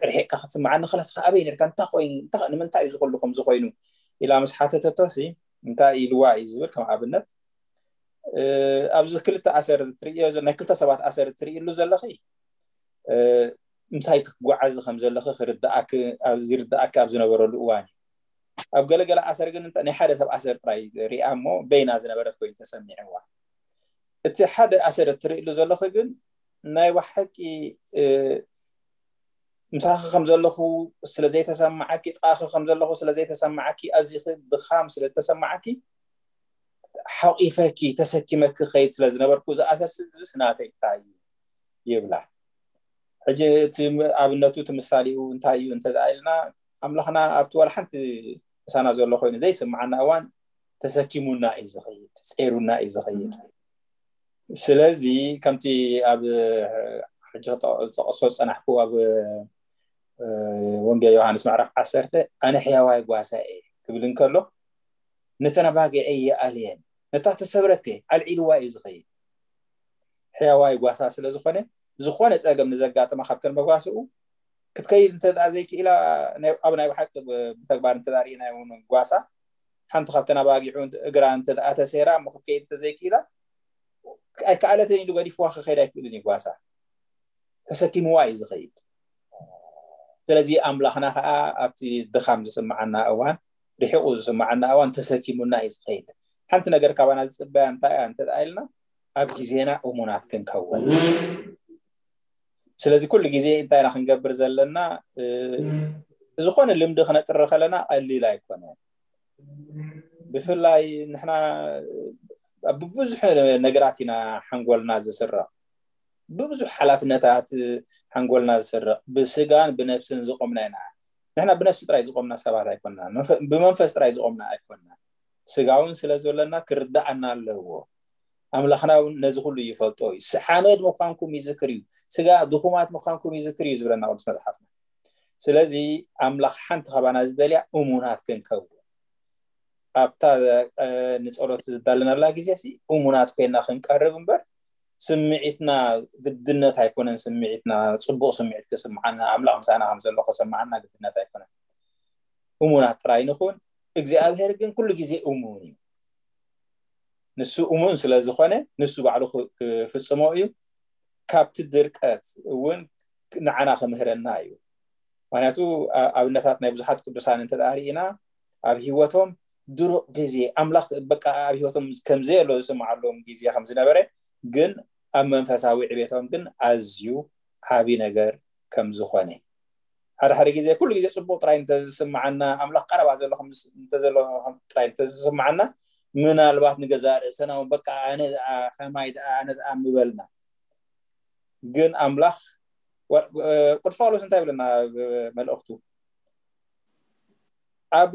ርሒቕካ ክትስምዓኒ ከለስኻ ኣበይ ነርካ እንታይ ኮይኑ ንምንታይ እዩ እዚ ኩሉ ከምዚ ኮይኑ ኢላ ምስ ሓተተቶ ሲ እንታይ ኢልዋ እዩ ዝብል ከም ኣብነት ኣብዚ ክልተ ኣሰር ትርእዮ ናይ ክልተ ሰባት ኣሰር ትርእሉ ዘለኺ ምሳይ ትጓዓዚ ከም ዘለኺ ክርዳኣኪ ዝርዳኣኪ ኣብ ዝነበረሉ እዋን እዩ። ኣብ ገለገለ ኣሰር ግን ናይ ሓደ ሰብ ኣሰር ጥራይ ሪኣ እሞ በይና ዝነበረት ኮይኑ ተሰሚዕዋ። እቲ ሓደ ኣሰር እትርእሉ ዘለኺ ግን ናይ ብሓቂ ምሳኺ ከም ዘለኹ ስለ ዘይተሰማዓኪ፣ ጥቓኺ ከም ዘለኹ ስለ ዘይተሰማዓኪ፣ ኣዚኺ ድኻም ስለ ዝተሰማዓኪ ሓቂፈኪ ተሰኪመኪ ከይድ ስለ ዝነበርኩ እዚ ኣሰር እዚ ናተይ ጥራይ እዩ ይብላ። ሕጂ እቲ ኣብነቱ እቲ ምሳሌኡ እንታይ እዩ እንተ ኢልና ኣምላኽና ኣብቲ ዋላ ሓንቲ ምሳና ዘሎ ኮይኑ ዘይስምዓና እዋን ተሰኪሙና እዩ ዝኸይድ፣ ጸይሩና እዩ ዝኸይድ። ስለዚ ከምቲ ኣብ ሕጂ ጠቕሶ ዝጸናሕኩ ኣብ ወንጌል ዮሃንስ ምዕራፍ ዓሰርተ ኣነ ሕያዋይ ጓሳ እየ ክብል እንከሎ ነተን ኣባጊዐይ ይኣልየን፣ ነታ ተሰብረትከ ኣልዒልዋ እዩ ዝኸይድ። ሕያዋይ ጓሳ ስለ ዝኾነ ዝኾነ ጸገም ንዘጋጥማ ካብተን መጓስኡ ክትከይድ እንተ ደኣ ዘይክኢላ፣ ኣብ ናይ ብሓቂ ብተግባር እንተ ደኣ ርኢና እውን ጓሳ ሓንቲ ካብተን ኣባጊዑ እግራ እንተ ደኣ ተሰይራ እሞ ክትከይድ እንተ ዘይክኢላ ኣይከኣለትን ኢሉ ገዲፍዋ ክኸይድ ኣይክእልን እዩ። ጓሳ ተሰኪምዋ እዩ ዝኸይድ። ስለዚ ኣምላኽና ከዓ ኣብቲ ድኻም ዝስምዓና እዋን፣ ርሒቑ ዝስምዓና እዋን ተሰኪሙና እዩ ዝኸይድ። ሓንቲ ነገር ካባና ዝፅበያ እንታይ እያ እንተ ደኣ ኢልና ኣብ ግዜና እሙናት ክንከውን። ስለዚ ኩሉ ግዜ እንታይ ኢና ክንገብር ዘለና? ዝኾነ ልምዲ ክነጥሪ ከለና ቀሊል ኣይኮነን። ብፍላይ ንሕና ብብዙሕ ነገራት ኢና ሓንጎልና ዝስረቕ፣ ብብዙሕ ሓላፍነታት ሓንጎልና ዝስረቕ። ብስጋን ብነፍስን ዝቆምና ኢና። ንሕና ብነፍሲ ጥራይ ዝቆምና ሰባት ኣይኮንና፣ ብመንፈስ ጥራይ ዝቆምና ኣይኮንና። ስጋ እውን ስለ ዘለና ክርዳኣና ኣለዎ። ኣምላኽና እውን ነዚ ኩሉ ይፈልጦ እዩ። ሓመድ ምዃንኩም ይዝክር እዩ፣ ስጋ ድኹማት ምዃንኩም ይዝክር እዩ ዝብለና ቅዱስ መጽሓፍና። ስለዚ ኣምላኽ ሓንቲ ካባና ዝደልያ እሙናት ክንከውን፣ ኣብታ ንጸሎት ዝዳለናላ ግዜ ሲ እሙናት ኮይና ክንቀርብ እምበር ስምዒትና ግድነት ኣይኮነን። ስምዒትና ጽቡቕ ስምዒት ክስምዓና፣ ኣምላኽ ምሳና ከም ዘሎ ክስምዓና ግድነት ኣይኮነን። እሙናት ጥራይ ንኹን። እግዚኣብሔር ግን ኩሉ ግዜ እሙን እዩ። ንሱ እሙን ስለ ዝኾነ ንሱ ባዕሉ ክፍጽሞ እዩ። ካብቲ ድርቀት እውን ንዓና ክምህረና እዩ። ምክንያቱ ኣብነታት ናይ ብዙሓት ቅዱሳን እንተ ርኢና ኣብ ህይወቶም ድሩቕ ግዜ ኣምላኽ በቃ ኣብ ህይወቶም ከምዘየሎ ዝስምዓሎም ግዜ ከም ዝነበረ፣ ግን ኣብ መንፈሳዊ ዕቤቶም ግን ኣዝዩ ዓቢ ነገር ከም ዝኾነ። ሓደ ሓደ ግዜ ኩሉ ግዜ ጽቡቕ ጥራይ እንተዝስምዓና፣ ኣምላኽ ቀረባ ዘሎ ጥራይ እንተዝስምዓና፣ ምናልባት ንገዛእ ርእስና እውን በቃ ኣነ ደኣ ከማይ ደኣ ኣነ ደኣ ምበልና። ግን ኣምላኽ ቅዱስ ጳውሎስ እንታይ ይብለና ኣብ መልእኽቱ? ኣብ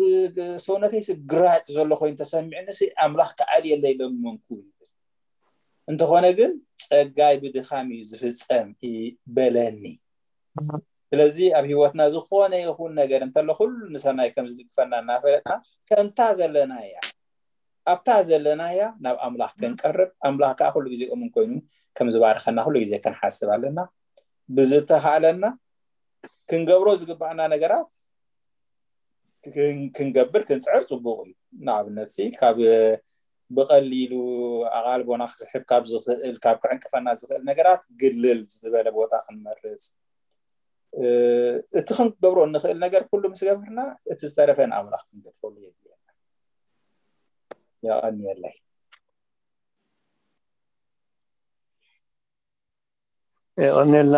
ሰውነተይስ ግራጭ ዘሎ ኮይኑ ተሰሚዕንሲ ኣምላኽ ክኣልየለይ ለመንኩ ይብል። እንተኾነ ግን ጸጋይ ብድኻም እዩ ዝፍጸም በለኒ። ስለዚ ኣብ ህይወትና ዝኾነ ይኹን ነገር እንተሎ ኩሉ ንሰናይ ከም ዝድግፈና እናፈለጥና ከምታ ዘለና እያ ኣብታ ዘለናያ ናብ ኣምላኽ ክንቀርብ ኣምላኽ ከዓ ኩሉ ግዜ እሙን ኮይኑ ከም ዝባርኸና ኩሉ ግዜ ክንሓስብ ኣለና። ብዝተኻእለና ክንገብሮ ዝግባኣና ነገራት ክንገብር ክንፅዕር ፅቡቕ እዩ። ንኣብነት ሲ ካብ ብቐሊሉ ኣቓልቦና ክስሕብ ካብ ዝኽእል ካብ ክዕንቅፈና ዝኽእል ነገራት ግልል ዝበለ ቦታ ክንመርፅ እቲ ክንገብሮ እንኽእል ነገር ኩሉ ምስ ገበርና እቲ ዝተረፈ ንኣምላኽ ክንገድፈሉ የድልየና። የቐንየለይ። የቐንየልና።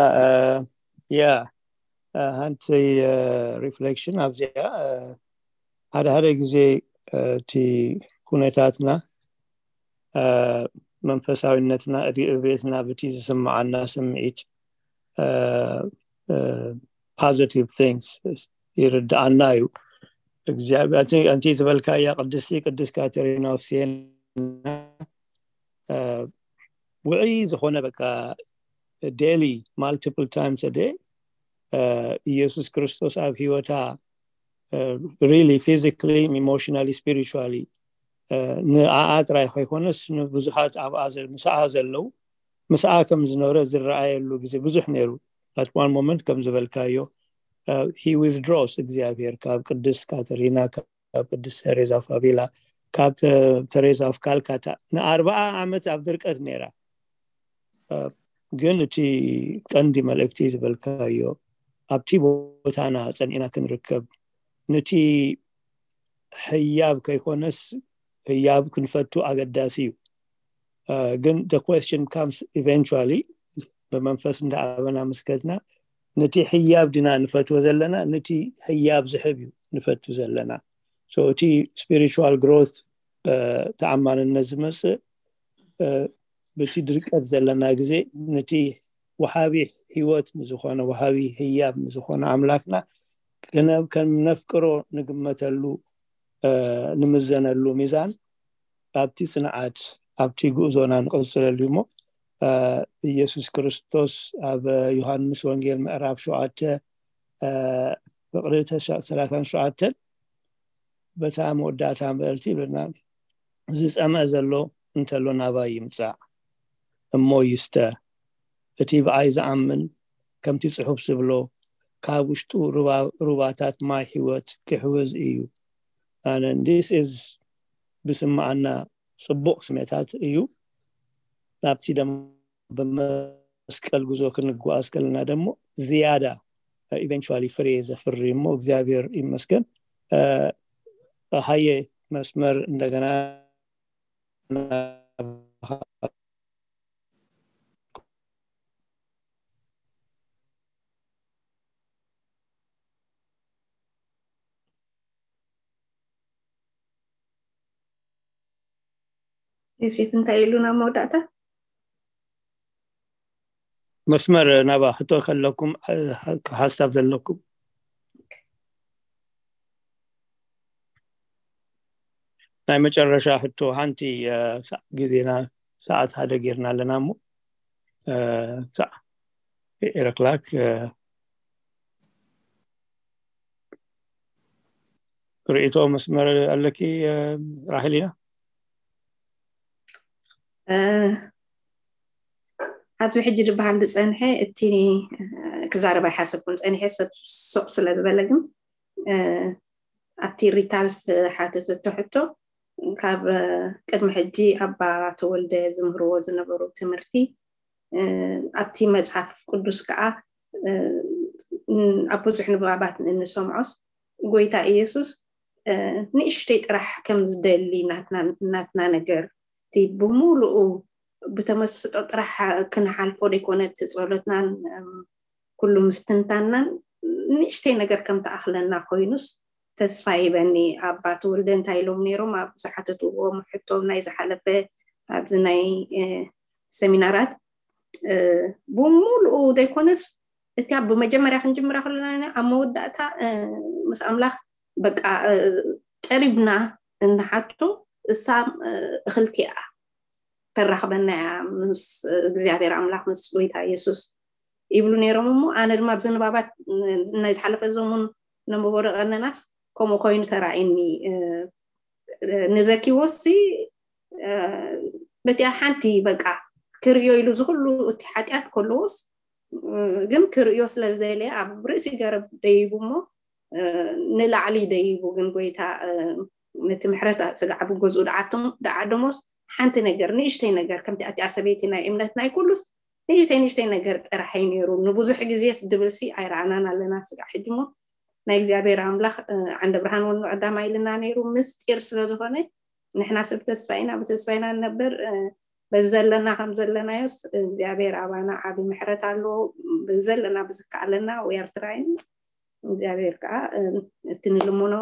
ያ ሓንቲ ሪፍሌክሽን ኣብዚኣ ሓደ ሓደ ግዜ እቲ ኩነታትና መንፈሳዊነትና እድገትና ብቲ ዝስምዓና ስምዒት positive things ይርድኣና እዩ። እግዚኣብሔር ኣንቲ ዝበልካያ ቅድስቲ ቅድስት ካተሪና ኦፍ ሲየና ውዕይ ዝኾነ በቃ daily multiple times a day ኢየሱስ ክርስቶስ ኣብ ህይወታ really physically emotionally spiritually ንኣኣ ጥራይ ከይኮነስ ንብዙሓት ኣብኣ ምስኣ ዘለዉ ምስኣ ከም ዝነበረ ዝረኣየሉ ግዜ ብዙሕ ነይሩ። At one moment ከም ዝበልካዮ he withdraws እግዚኣብሔር ካብ ቅድስት ካተሪና ካብ ቅድስት ተሬዛ ኦፍ ኣቪላ ካብ ተሬዛ ኦፍ ካልካታ ንኣርባዓ ዓመት ኣብ ድርቀት ነይራ። ግን እቲ ቀንዲ መልእክቲ ዝበልካዮ ኣብቲ ቦታና ጸኒዕና ክንርከብ ንቲ ህያብ ከይኮነስ ህያብ ክንፈቱ ኣገዳሲ እዩ። ግን the question comes eventually ብመንፈስ እንዳኣበና ምስከድና ንቲ ህያብ ድና ንፈትዎ ዘለና ንቲ ህያብ ዝሕብ እዩ ንፈቱ ዘለና። So እቲ spiritual growth ተኣማንነት ዝመፅእ ብቲ ድርቀት ዘለና ግዜ ንቲ ወሃቢ ህይወት ንዝኾነ ወሃቢ ህያብ ንዝኾነ ኣምላክና ከነፍቅሮ ንግመተሉ ንምዘነሉ ሚዛን ኣብቲ ጽንዓት ኣብቲ ጉዕዞና ንቕጽለሉ እሞ ኢየሱስ ክርስቶስ ኣብ ዮሃንስ ወንጌል ምዕራፍ ሸውዓተ ፍቕሪ ሰላሳን ሸውዓተን በታ መወዳእታ ምእንቲ ይብለና። ዝጸምአ ዘሎ እንተሎ ናባይ ይምጻእ እሞ ይስተ። እቲ ብኣይ ዝኣምን ከምቲ ጽሑፍ ዝብሎ ካብ ውሽጡ ሩባታት ማይ ህይወት ክሕውዝ እዩ። ኣነ this is ብስምዓና ጽቡቕ ስሜታት እዩ። ናብቲ ደሞ ብመስቀል ጉዞ ክንጓዓዝ ከለና ደሞ ዝያዳ eventually ፍሬ ዘፍሪ እሞ እግዚኣብሔር ይመስገን። ሃየ መስመር እንደገና ዮሴፍ እንታይ ኢሉ ናብ መወዳእታ? መስመር ናባ ሕቶ ከለኩም ሓሳብ ዘለኩም ናይ መጨረሻ ሕቶ ሓንቲ ግዜና ሰዓት ሓደ ጌርና ኣለና እሞ ኤረክላክ ርእቶ መስመር ኣለኪ ራሄሊና? ኣብዚ ሕጂ ዝበሃል ዝፀንሐ እቲ ክዛረብ ኣይሓሰብኩን ፀኒሐ ሰብ ሱቕ ስለ ዝበለ ግን ኣብቲ ሪታል ዝሓተተቶ ሕቶ ካብ ቅድሚ ሕጂ ኣባ ተወልደ ዝምህርዎ ዝነበሩ ትምህርቲ ኣብቲ መፅሓፍ ቅዱስ ከዓ ኣብ ብዙሕ ንባባት እንሰምዖስ ጎይታ ኢየሱስ ንእሽተይ ጥራሕ ከም ዝደሊ ናትና ነገር እቲ ብምሉኡ ብተመስጦ ጥራሕ ክንሓልፎ ዘይኮነ እቲ ጸሎትናን ኩሉ ምስትንታናን ንእሽተይ ነገር ከም ተኣኽለና ኮይኑስ ተስፋ ይበኒ። ኣባ ተወልደ እንታይ ኢሎም ነይሮም ኣብ ዝሓተትዎም ሕቶ ናይ ዝሓለፈ ኣብዚ ናይ ሰሚናራት ብምሉኡ ዘይኮነስ እቲ ኣብ መጀመርያ ክንጅምራ ከለና ኣብ መወዳእታ ምስ ኣምላኽ በቃ ቀሪብና እንሓቶ እሳ እኽልቲ እያ ተራኽበና እያ ምስ እግዚኣብሔር ኣምላኽ ምስ ጎይታ የሱስ ይብሉ ነይሮም እሞ ኣነ ድማ ኣብዚ ንባባት ናይ ዝሓለፈ ዘሙን ነንበቦ ደቐነናስ ከምኡ ኮይኑ ተራእየኒ ንዘኪዎሲ በቲኣ ሓንቲ በቃ ክርእዮ ኢሉ ዝኩሉ እቲ ሓጢኣት ከለዎስ ግን ክርእዮ ስለ ዝደለየ ኣብ ርእሲ ገረብ ደይቡ እሞ ንላዕሊ ደይቡ ግን ጎይታ ነቲ ምሕረት ስጋዕ ብገዝኡ ደዓደሞስ ሓንቲ ነገር ንእሽተይ ነገር ከምቲ ኣቲኣ ሰበይቲ ናይ እምነት ናይ ኩሉስ ንእሽተይ ንእሽተይ ነገር ጥራሕ እዩ ነይሩ ንብዙሕ ግዜስ ድብልሲ ኣይረኣናን ኣለና ስጋዕ ሕጂ እሞ ናይ እግዚኣብሔር ኣምላኽ ዓንደ ብርሃን ወኑ ቀዳማ ኢልና ነይሩ ምስጢር ስለ ዝኾነ ንሕና ሰብ ተስፋ ኢና ብተስፋ ኢና ንነብር በዚ ዘለና ከም ዘለናዮስ እግዚኣብሔር ኣባና ዓቢ ምሕረት ኣለዎ ብዘለና ብዝከኣለና we are trying እግዚኣብሔር ከዓ እቲ ንልምኖ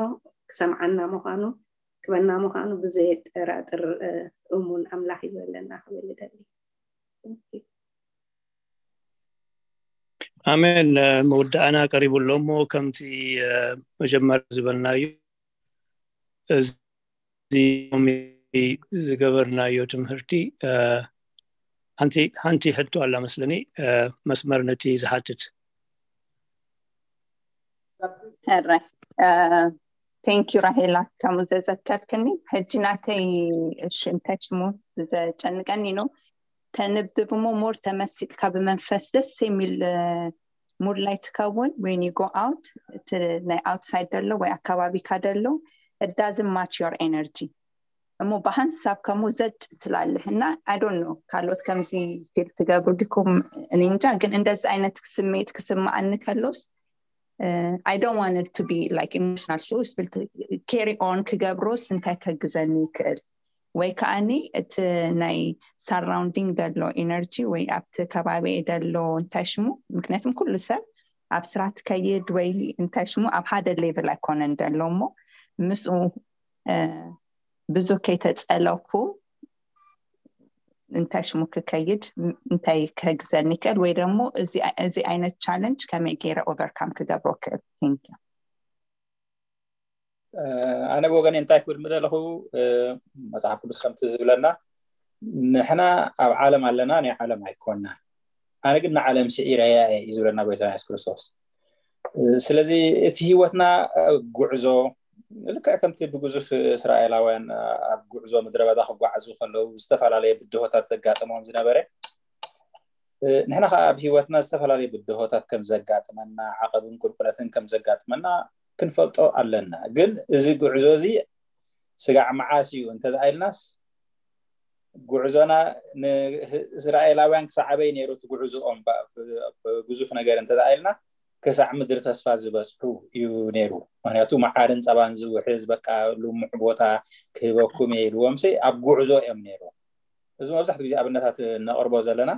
ክሰምዓና ምዃኑ ክበና ምዃኑ ብዘየጠራጥር እሙን ኣምላኽ እዩ ዘለና ክብል ደሊ ኣሜን መወዳእና ቀሪቡ ኣሎ እሞ ከምቲ መጀመር ዝበልናዩ እዚ ዝገበርናዮ ትምህርቲ ሓንቲ ሓንቲ ሕቶ ኣላ መስለኒ መስመር ነቲ ዝሓትት ሕረ thank you ራሄላ ከምኡ ዘዘከርክኒ ሕጂ ናተይ እሺ እንታይ ሽሙ ዘጨንቀኒ ነው ተንብብ ሞ more ተመሲጥካ ብመንፈስ ደስ የሚል mood ላይ ትከውን when you go out እቲ ናይ outside ደሎ ወይ ኣካባቢካ ደሎ it doesn't match your energy እሞ ብሓንሳብ ከምኡ ዘጭ ትላለህ እና I don't know ካልኦት ከምዚ feel ትገብሩ ዲኩም እኔ እንጃ ግን እንደዚ ዓይነት ስሜት ክስምዓኒ ከሎስ I don't want it to be like emotional so still carry on ክገብሮስ እንታይ ከግዘኒ ይክእል ወይ ከዓኒ እቲ ናይ surrounding ዘሎ energy ወይ ኣብቲ ከባቢ ዘሎ እንታይ ሽሙ ምክንያቱም ኩሉ ሰብ ኣብ ስራሕ ትከይድ ወይ እንታይ ሽሙ ኣብ ሓደ level ኣይኮነን ዘሎ እሞ ምስኡ ብዙ ከይተፀለኩ እንታይ ሽሙ ክከይድ እንታይ ከግዘኒ ይክእል ወይ ደግሞ እዚ ዓይነት challenge ከመይ ገይረ overcome ክገብሮ ክእል thank you ኣነ ብወገን እንታይ ክብል ምደለኹ፣ መፅሓፍ ቅዱስ ከምቲ ዝብለና ንሕና ኣብ ዓለም ኣለና፣ ናይ ዓለም ኣይኮና፣ ኣነ ግን ንዓለም ስዒረያ እየ እዩ ዝብለና ጎይታ የሱስ ክርስቶስ። ስለዚ እቲ ህይወትና ጉዕዞ ልክዕ ከምቲ ብግዙፍ እስራኤላውያን ኣብ ጉዕዞ ምድረ በዳ ክጓዓዙ ከለዉ ዝተፈላለየ ብድሆታት ዘጋጥሞም ዝነበረ፣ ንሕና ከዓ ኣብ ህይወትና ዝተፈላለየ ብድሆታት ከም ዘጋጥመና፣ ዓቐብን ቁልቁለትን ከም ዘጋጥመና ክንፈልጦ ኣለና። ግን እዚ ጉዕዞ እዚ ስጋዕ መዓስ እዩ እንተደኣ ኢልናስ፣ ጉዕዞና ንእስራኤላውያን ክሳዕ ኣበይ ነይሩ እቲ ጉዕዞኦም? ብዙፍ ነገር እንተደኣ ኢልና፣ ክሳዕ ምድሪ ተስፋ ዝበፅሑ እዩ ነይሩ። ምክንያቱ መዓርን ፀባን ዝውሕዝ፣ በቃ ልሙዕ ቦታ ክህበኩም እየ ኢልዎም ሲ ኣብ ጉዕዞ እዮም ነይሩ። እዚ መብዛሕትኡ ግዜ ኣብነታት ነቕርቦ ዘለና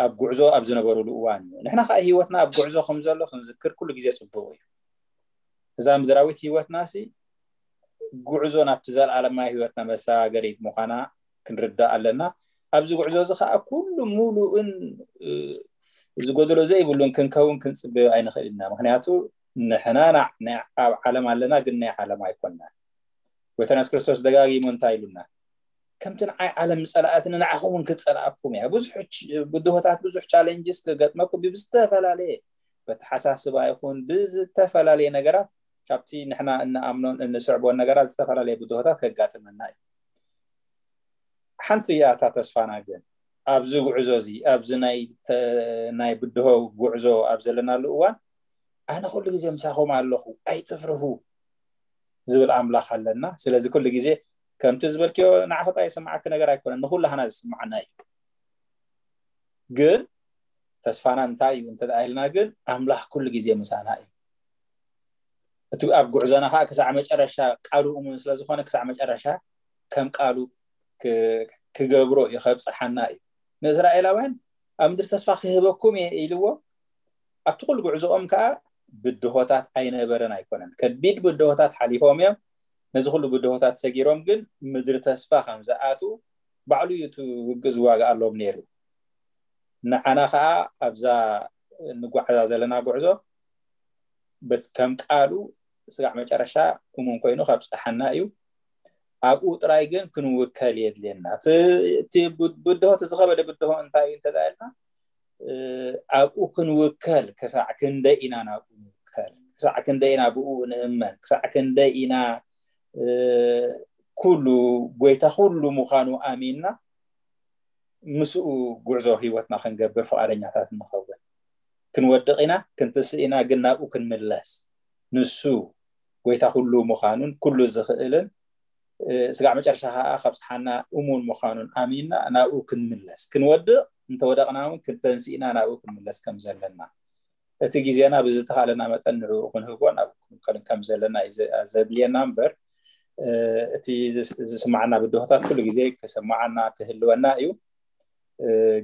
ኣብ ጉዕዞ ኣብ ዝነበሩሉ እዋን እዩ። ንሕና ከዓ ህይወትና ኣብ ጉዕዞ ከም ዘሎ ክንዝክር ኩሉ ግዜ ፅቡቅ እዩ። እዛ ምድራዊት ህይወትና ሲ ጉዕዞ ናብቲ ዘለኣለማዊ ህይወትና መሰጋገሪት ምዃና ክንርዳእ ኣለና። ኣብዚ ጉዕዞ እዚ ከዓ ኩሉ ሙሉእን ዝጎደሎ ዘይብሉን ክንከውን ክንፅበዮ ኣይንኽእል ኢና። ምክንያቱ ንሕና ኣብ ዓለም ኣለና፣ ግን ናይ ዓለም ኣይኮና። ጎይታና የሱስ ክርስቶስ ደጋጊሙ እንታይ ኢሉና? ከምቲ ንዓይ ዓለም ዝፀልኣትኒ ንዓኹም እውን ክፀልኣኩም እያ። ብዙሕ ብድሆታት፣ ብዙሕ ቻሌንጅስ ክገጥመኩም ብዝተፈላለየ በተሓሳስባ ይኹን ብዝተፈላለየ ነገራት ካብቲ ንሕና እንኣምኖን እንስዕቦን ነገራት ዝተፈላለየ ብድሆታት ከጋጥመና እዩ። ሓንቲ እያ እታ ተስፋና ግን ኣብዚ ጉዕዞ እዚ፣ ኣብዚ ናይ ብድሆ ጉዕዞ ኣብ ዘለናሉ እዋን ኣነ ኩሉ ግዜ ምሳኹም ኣለኹ ኣይትፍርሁ ዝብል ኣምላኽ ኣለና። ስለዚ ኩሉ ግዜ ከምቲ ዝበልክዮ ንዓኺ ጥራይ ዝስምዓኪ ነገር ኣይኮነን፣ ንኩላህና ዝስምዓና እዩ። ግን ተስፋና እንታይ እዩ እንተ ኢልና ግን ኣምላኽ ኩሉ ግዜ ምሳና እዩ። እቲ ኣብ ጉዕዞና ከዓ ክሳዕ መጨረሻ ቃሉ እሙን ስለዝኾነ ክሳዕ መጨረሻ ከም ቃሉ ክገብሮ እዩ፣ ከብፅሓና እዩ። ንእስራኤላውያን ኣብ ምድሪ ተስፋ ክህበኩም እየ ኢልዎ ኣብቲ ኩሉ ጉዕዞኦም ከዓ ብድሆታት ኣይነበረን ኣይኮነን። ከቢድ ብድሆታት ሓሊፎም እዮም። ነዚ ኩሉ ብድሆታት ሰጊሮም ግን ምድሪ ተስፋ ከም ዝኣትዉ ባዕሉ እዩ እቲ ውግእ ዝዋግኣሎም ነይሩ። ንዓና ከዓ ኣብዛ እንጓዓዛ ዘለና ጉዕዞ ከም ቃሉ ስጋዕ መጨረሻ እሙን ኮይኑ ከብፅሓና እዩ። ኣብኡ ጥራይ ግን ክንውከል የድልየና። እቲ ብድሆ፣ እቲ ዝኸበደ ብድሆ እንታይ እዩ እንተኢልና ኣብኡ ክንውከል ክሳዕ ክንደይ ኢና ናብኡ ንውከል? ክሳዕ ክንደይ ኢና ብኡ ንእመን? ክሳዕ ክንደይ ኢና ኩሉ ጎይታ ኩሉ ምዃኑ ኣሚንና ምስኡ ጉዕዞ ህይወትና ክንገብር ፍቓደኛታት ንኸውን? ክንወድቕ ኢና፣ ክንትስእ ኢና፣ ግን ናብኡ ክንምለስ ንሱ ጎይታ ኩሉ ምዃኑን ኩሉ ዝኽእልን ስጋዕ መጨረሻ ከዓ ከብፅሓና እሙን ምዃኑን ኣሚንና ናብኡ ክንምለስ፣ ክንወድቕ እንተወደቕና እውን ክንተንስእና ናብኡ ክንምለስ ከም ዘለና፣ እቲ ግዜና ብዝተኻለና መጠን ንዕኡ ክንህቦ ናብ ክንከልን ከም ዘለና እዩ ዘድልየና እምበር እቲ ዝስማዓና ብድሆታት ኩሉ ግዜ ክስማዓና ክህልወና እዩ።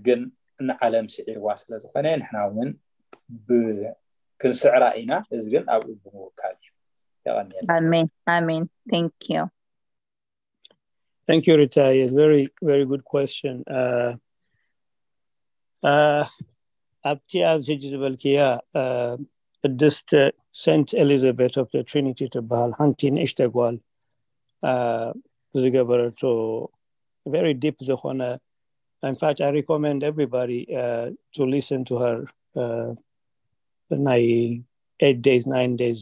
ግን ንዓለም ስዒርዋ ስለዝኾነ ንሕና እውን ክንስዕራ ኢና። እዚ ግን ኣብኡ ብምውካል እዩ። የቐንየልና። ኣሜን ኣሜን። Thank you. Thank you, Rita. Yes, very, very good question. Uh, uh, ኣብቲ ኣብዚ ሕጂ ዝበልክያ ቅድስት ሴንት ኤሊዛቤት ኦፍ ትሪኒቲ ትበሃል ሓንቲ ንእሽተ ጓል ዝገበረቶ very deep ዝኾነ. In fact, I recommend everybody uh, to listen to her uh, ናይ eight days, nine days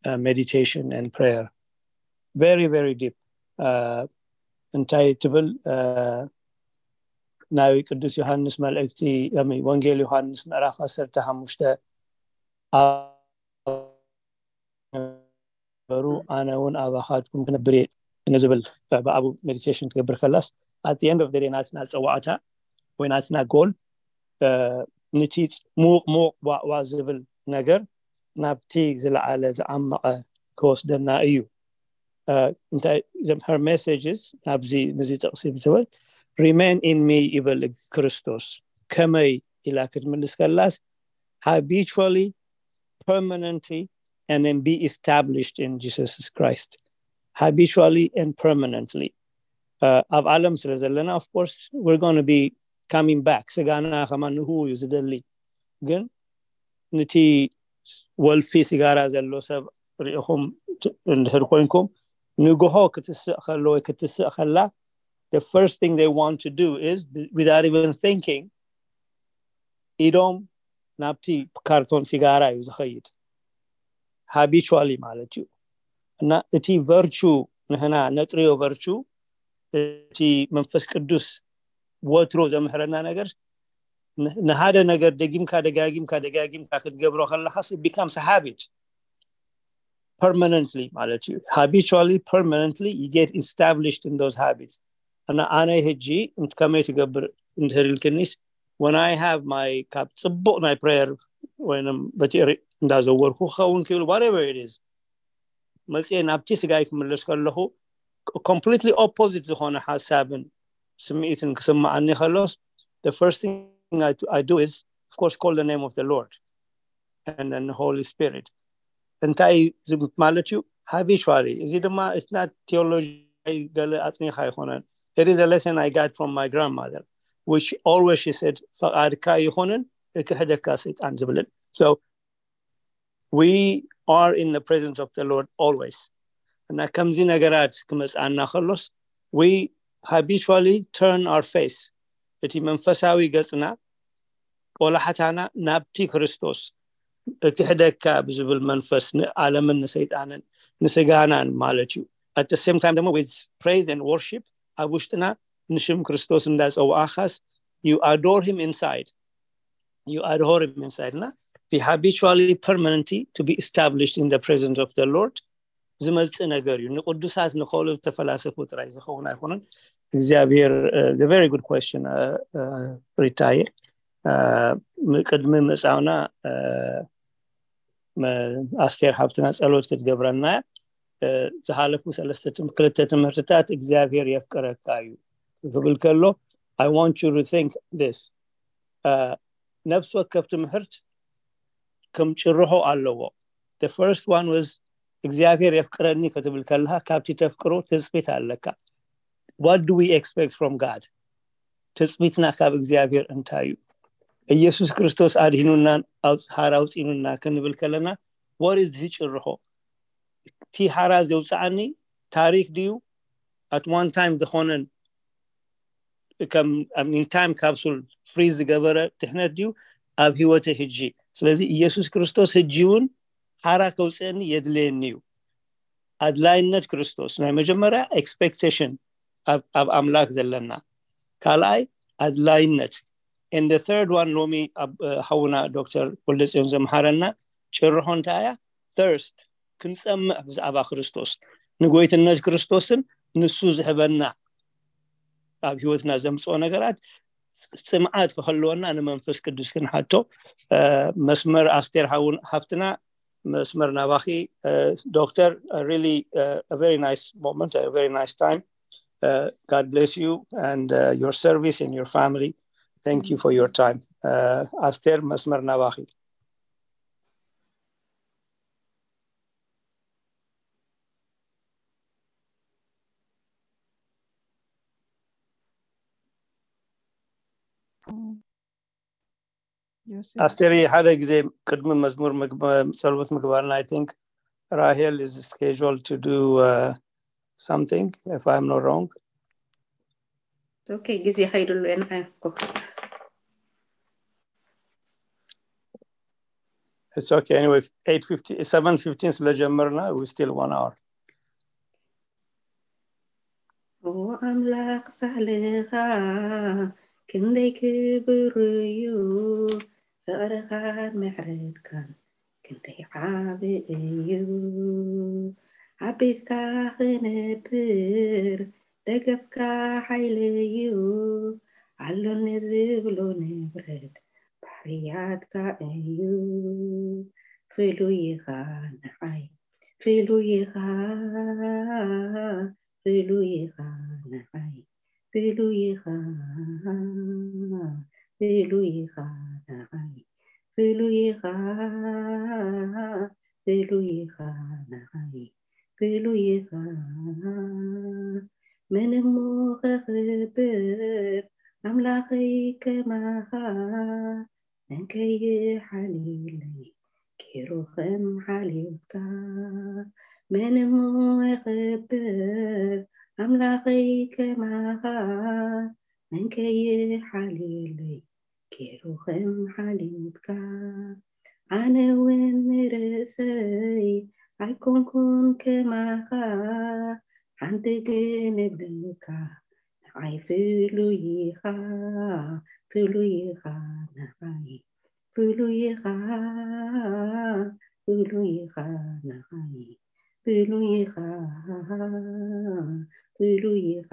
uh, meditation and prayer. Very, very deep. Uh, እንታይ ትብል? Uh, ናይ ቅዱስ ዮሃንስ መልእክቲ፣ ወንጌል ዮሃንስ ምዕራፍ ዓሰርተ ሓሙሽተ ነበሩ፣ ኣነ እውን ኣባኻትኩም ክነብር እየ ንዝብል ብኣቡ ሜዲቴሽን ትገብር ከላስ፣ at the end of the day ናትና ፀዋዕታ ወይ ናትና ጎል ንቲ ሙቕ ሙቕ ዋዕዋ ዝብል ነገር ናብቲ ዝለዓለ ዝዓመቐ ክወስደና እዩ። እንታይ her messages ናብዚ ንዚ ጥቕሲ ብትብል remain in me ይብል ክርስቶስ። ከመይ ኢላ ክትምልስ ከላስ habitually, permanently, and then be established in Jesus Christ. Habitually and permanently. ኣብ ዓለም ስለ ዘለና of course we're going to be coming back. ስጋና ከማን ንህው እዩ ዝደሊ። ግን ንቲ ወልፊ ሲጋራ ዘሎ ሰብ ርኢኹም እንድሕር ኮይንኩም ንግሆ ክትስእ ከሎ ወይ ክትስእ ከላ the first thing they want to do is without even thinking ኢዶም ናብቲ ካርቶን ሲጋራ እዩ ዝኸይድ። Habitually ማለት እዩ። እና እቲ ቨርቹ ንህና ነጥርዮ ቨርቹ እቲ መንፈስ ቅዱስ ወትሮ ዘምሕረና ነገር ንሃደ ነገር ደጊምካ ደጋጊምካ ደጋጊምካ ክትገብሮ ከለኻስ it becomes a habit permanently ማለት እዩ። Habitually permanently you get established in those habits። እና ኣነ ሕጂ ከመይ ትገብር እንድህር ኢልክኒስ when I have my ካብ ፅቡቕ ናይ prayer ወይም በቲ እንዳዘወርኩ ክኸውን ክብል whatever it is መፅኤ ናብቲ ስጋይ ክምለስ ከለኹ completely opposite ዝኾነ ሓሳብን ስምዒትን ክስምዓኒ ከሎስ the first thing I do is of course call the name of the Lord and then the Holy Spirit። እንታይ ማለት እዩ? Habitually። እዚ ድማ it's not theology ገለ ኣፅኒኻ ኣይኮነን። It is a lesson I got from my grandmother which always she said ፈቓድካ ይኹንን እክሕደካ ሰይጣን ዝብልን። So we are in the presence of the Lord always። እና ከምዚ ነገራት ክመፅኣና ከሎስ we habitually turn our face፣ እቲ መንፈሳዊ ገፅና ቆላሕታና ናብቲ ክርስቶስ እክሕደካ ብዝብል መንፈስ ንዓለምን ንሰይጣንን ንስጋናን ማለት እዩ። At the same time ድማ with praise and worship ኣብ ውሽጥና ንሽም ክርስቶስ እንዳፀዋእኻስ you adore him inside you adore him inside እና the habitually permanently to be established in the presence of the Lord ዝመፅእ ነገር እዩ። ንቅዱሳት ንኸሉ ተፈላሰፉ ጥራይ ዝኸውን ኣይኮነን። እግዚኣብሔር very good question ሪታየ። ቅድሚ ምፃውና ኣስቴር ሓብትና ፀሎት ክትገብረና ዝሓለፉ ሰለስተ ክልተ ትምህርትታት እግዚኣብሔር የፍቅረካ እዩ ክብል ከሎ I want you to think this ነፍሲ ወከፍ ትምህርት ከም ጭርሖ ኣለዎ። The first one was እግዚኣብሔር የፍቅረኒ ክትብል ከለካ ካብቲ ተፍቅሮ ትፅቢት ኣለካ። What do we expect from God? ትፅቢትና ካብ እግዚኣብሔር እንታይ እዩ? ኢየሱስ ክርስቶስ ኣድሂኑናን ሓራ ኣውፂኑና ክንብል ከለና what is ጭርሖ? እቲ ሓራ ዘውፅዓኒ ታሪክ ድዩ? At one time ዝኾነን ከም time capsule freeze ዝገበረ ድሕነት ድዩ ኣብ ህይወተይ ሕጂ? ስለዚ ኢየሱስ ክርስቶስ ሕጂ እውን ሓራ ከውፅአኒ የድልየኒ እዩ። ኣድላይነት ክርስቶስ ናይ መጀመርያ expectation ኣብ ኣምላክ ዘለና፣ ካልኣይ ኣድላይነት። And the third one ሎሚ ሓውና ዶክተር ወልደፅዮን ዘምሓረና ጭርሖ እንታይ እያ? Thirst፣ ክንፀምእ ብዛዕባ ክርስቶስ፣ ንጎይትነት ክርስቶስን ንሱ ዝህበና ኣብ ህይወትና ዘምፅኦ ነገራት ፅምዓት ክህልወና ንመንፈስ ቅዱስ ክንሓቶ። መስመር ኣስቴር ሓፍትና መስመር ናባኺ። Doctor, really a very nice moment, a very nice time. God bless you and your service and your family. Thank you for your time. ኣስቴር መስመር ናባኺ። ኣስቴር ሓደ ግዜ ቅድሚ መዝሙር ጸሎት ምግባርና I think Rahel is scheduled to do something if I'm not wrong. Okay, ግዜ ከይድሉ እየ ንዓይ እኮ It's okay. Anyway, eight fifty, seven fifteen ስለጀመርና we still one hour. ኦ ኣምላኽ ሳህልኻ ክንደይ ክብር እዩ፣ ፍቕርኻን ምሕረትካን ክንደይ ዓቢ እዩ። ኣብ ቤትካ ክነብር ደገፍካ ሓይለይ እዩ፣ ኣሎኒ ዝብሎ ንብረት ባህርያትካ እዩ። ፍሉይ ኢኻ ንዓይ፣ ፍሉይ ኢኻ፣ ፍሉይ ኢኻ ንዓይ፣ ፍሉይ ኢኻ፣ ፍሉይ ኢኻ ንዓይ፣ ፍሉይ ኢኻ፣ ፍሉይ ኢኻ ንዓይ፣ ፍሉይ ኢኻ። መን እሞ ከኽብር ኣምላኸይ ከማኻ፣ መን ከይሓልየለይ ኪሩኽም ሓልዩካ። መን እሞ ይኽብር ኣምላኸይ ከማኻ፣ መን ከይሓልየለይ ኪሩኽም ሓልዩካ። ኣነ እውን ንርእሰይ ኣይኮንኩን ከማኻ፣ ሓንቲ ግን እብለካ፣ ንዓይ ፍሉይ ኢኻ፣ ፍሉይ ኢኻ ንዓይ፣ ፍሉይ ኢኻ፣ ፍሉይ ኢኻ ንዓይ፣ ፍሉይ ኢኻ፣ ፍሉይ ኢኻ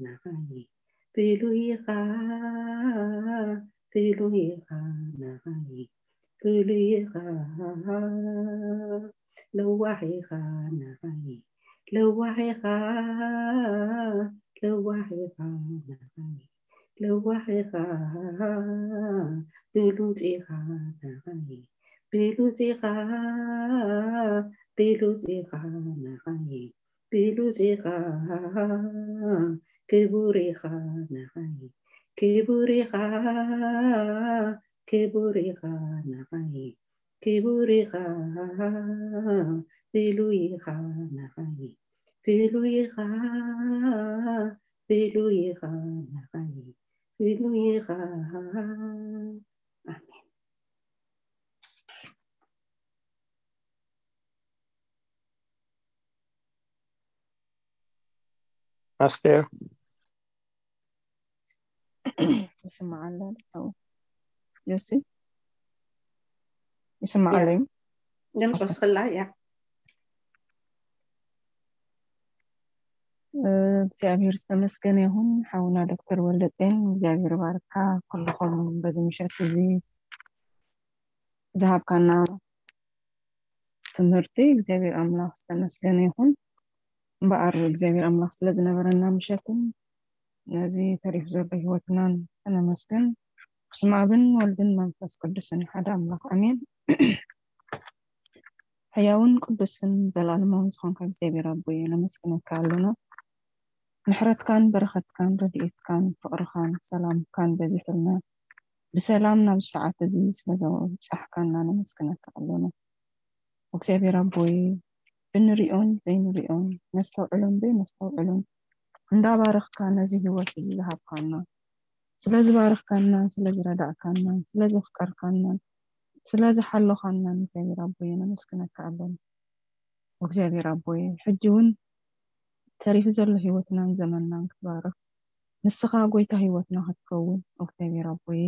ንዓይ፣ ፍሉይ ኢኻ፣ ፍሉይ ኢኻ ንዓይ፣ ፍሉይ ኢኻ፣ ለዋሕ ኢኻ ንዓይ፣ ለዋሕ ኢኻ፣ ለዋሕ ኢኻ ንዓይ፣ ለዋሕ ኢኻ፣ ብሉጽ ኢኻ ንዓይ፣ ብሉጽ ኢኻ፣ ብሉጽ ኢኻ ንዓይ፣ ብሉጽ ኢኻ፣ ክቡር ኢኻ ንዓይ፣ ክቡር ኢኻ፣ ክቡር ኢኻ ንዓይ፣ ክቡር ኢኻ፣ ፍሉይ ኢኻ ንዓይ፣ ፍሉይ ኢኻ፣ ፍሉይ ኢኻ ንዓይ፣ ፍሉይ ኢኻ። ኣሜን። ኣስቴር ይስማዓላ ዶ? ዮሲ ይስማዓለይ? ድምፅ ወስኽላ እያ። እግዚኣብሔር ዝተመስገነ ይኹን። ሓውና ዶክተር ወልደጼን እግዚኣብሔር ባርካ። ኩልኹም በዚ ምሸት እዚ ዝሃብካና ትምህርቲ እግዚኣብሔር ኣምላኽ ዝተመስገነ ይኹን። እምበኣር እግዚኣብሔር ኣምላኽ ስለ ዝነበረና ምሸትን ነዚ ተሪፉ ዘሎ ህይወትናን ከነመስግን ብስመ ኣብን ወልድን መንፈስ ቅዱስን ሓደ ኣምላኽ ኣሜን። ሕያውን ቅዱስን ዘላለማውን ዝኾንካ እግዚኣብሔር ኣቦየ ነመስግነካ ኣሎና። ምሕረትካን በረኸትካን ረድኤትካን ፍቕርኻን ሰላምካን በዚሑልና ብሰላም ናብ ሰዓት እዚ ስለ ዘብጻሕካና ነመስግነካ ኣሎና። እግዚኣብሔር ኣቦይ ብንሪኦን ዘይንሪኦን ነስተውዕሎን ዘይነስተውዕሎን እንዳባረኽካ ነዚ ህይወት እዚ ዝሃብካና ስለ ዝባረኽካናን ስለ ዝረዳእካናን ስለ ዘፍቀርካናን ስለ ዝሓሎኻናን እግዚኣብሔር ኣቦይ ነመስግነካ ኣሎና። እግዚኣብሔር ኣቦይ ሕጂ እውን ተሪፉ ዘሎ ህይወትናን ዘመንናን ክትባርኽ ንስኻ ጎይታ ህይወትና ክትከውን እግዚኣብሔር ኣቦይ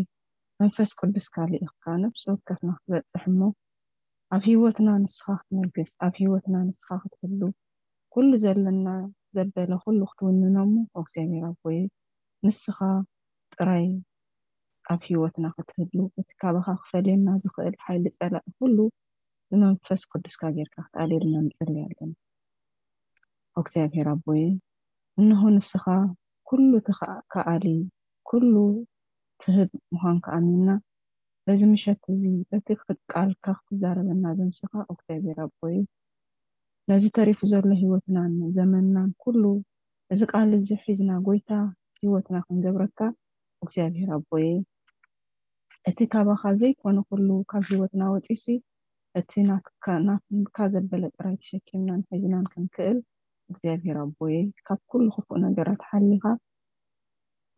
መንፈስ ቅዱስካ ልኢኽካ ነብሲ ወከፍና ክትበጽሕ እሞ ኣብ ህይወትና ንስኻ ክትነግስ ኣብ ህይወትና ንስኻ ክትህሉ ኩሉ ዘለና ዘበለ ኩሉ ክትውንኖ እሞ እግዚኣብሔር ኣቦይ ንስኻ ጥራይ ኣብ ህይወትና ክትህሉ እቲ ካባኻ ክፈልየና ዝኽእል ሓይሊ ጸላኢ ኩሉ ብመንፈስ ቅዱስካ ጌርካ ክትኣልየልና ንጽሊ ኣለና። እግዚኣብሔር ኣቦይ እንሆ ንስኻ ኩሉ ትኸኣሊ ኩሉ ትህብ ምዃንካ ኣሚንና በዚ ምሸት እዚ በቲ ቃልካ ክትዛረበና ዘምስኻ እግዚኣብሔር ኣቦይ ነዚ ተሪፉ ዘሎ ህይወትናን ዘመንናን ኩሉ እዚ ቃል እዚ ሒዝና ጎይታ ህይወትና ክንገብረካ እግዚኣብሔር ኣቦይ እቲ ካባኻ ዘይኮነ ኩሉ ካብ ህይወትና ወፂሲ እቲ ናትካ ዘበለ ጥራይ ተሸኪምናን ሒዝናን ክንክእል እግዚኣብሔር ኣቦይ ካብ ኩሉ ክፉእ ነገራት ሓሊኻ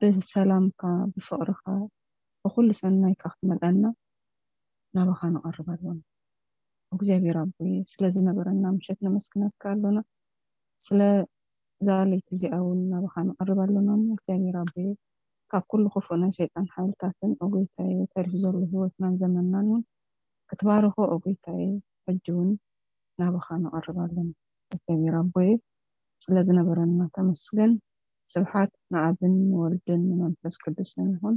ብሰላምካ ብፍቕርኻ ብኩሉ ሰናይካ ክትመልኣና ናባኻ ንቐርብ ኣሎና። እግዚኣብሔር ኣቦይ ስለ ዝነበረና ምሸት ነመስግነካ ኣሎና። ስለ እዛ ለይቲ እዚኣ እውን ናባኻ ንቐርብ ኣሎና እሞ እግዚኣብሔር ኣቦይ ካብ ኩሉ ክፉእ ናይ ሰይጣን ሓይልታትን ኦጎይታየ ተሪፉ ዘሎ ህይወትናን ዘመንናን እውን ክትባርኾ ኦጎይታየ ሕጂ እውን ናባኻ ንቐርብ ኣሎና። እግዚኣብሔር ኣቦይ ስለ ዝነበረና ተመስገን። ስብሓት ንኣብን ንወልድን ንመንፈስ ቅዱስን ይኹን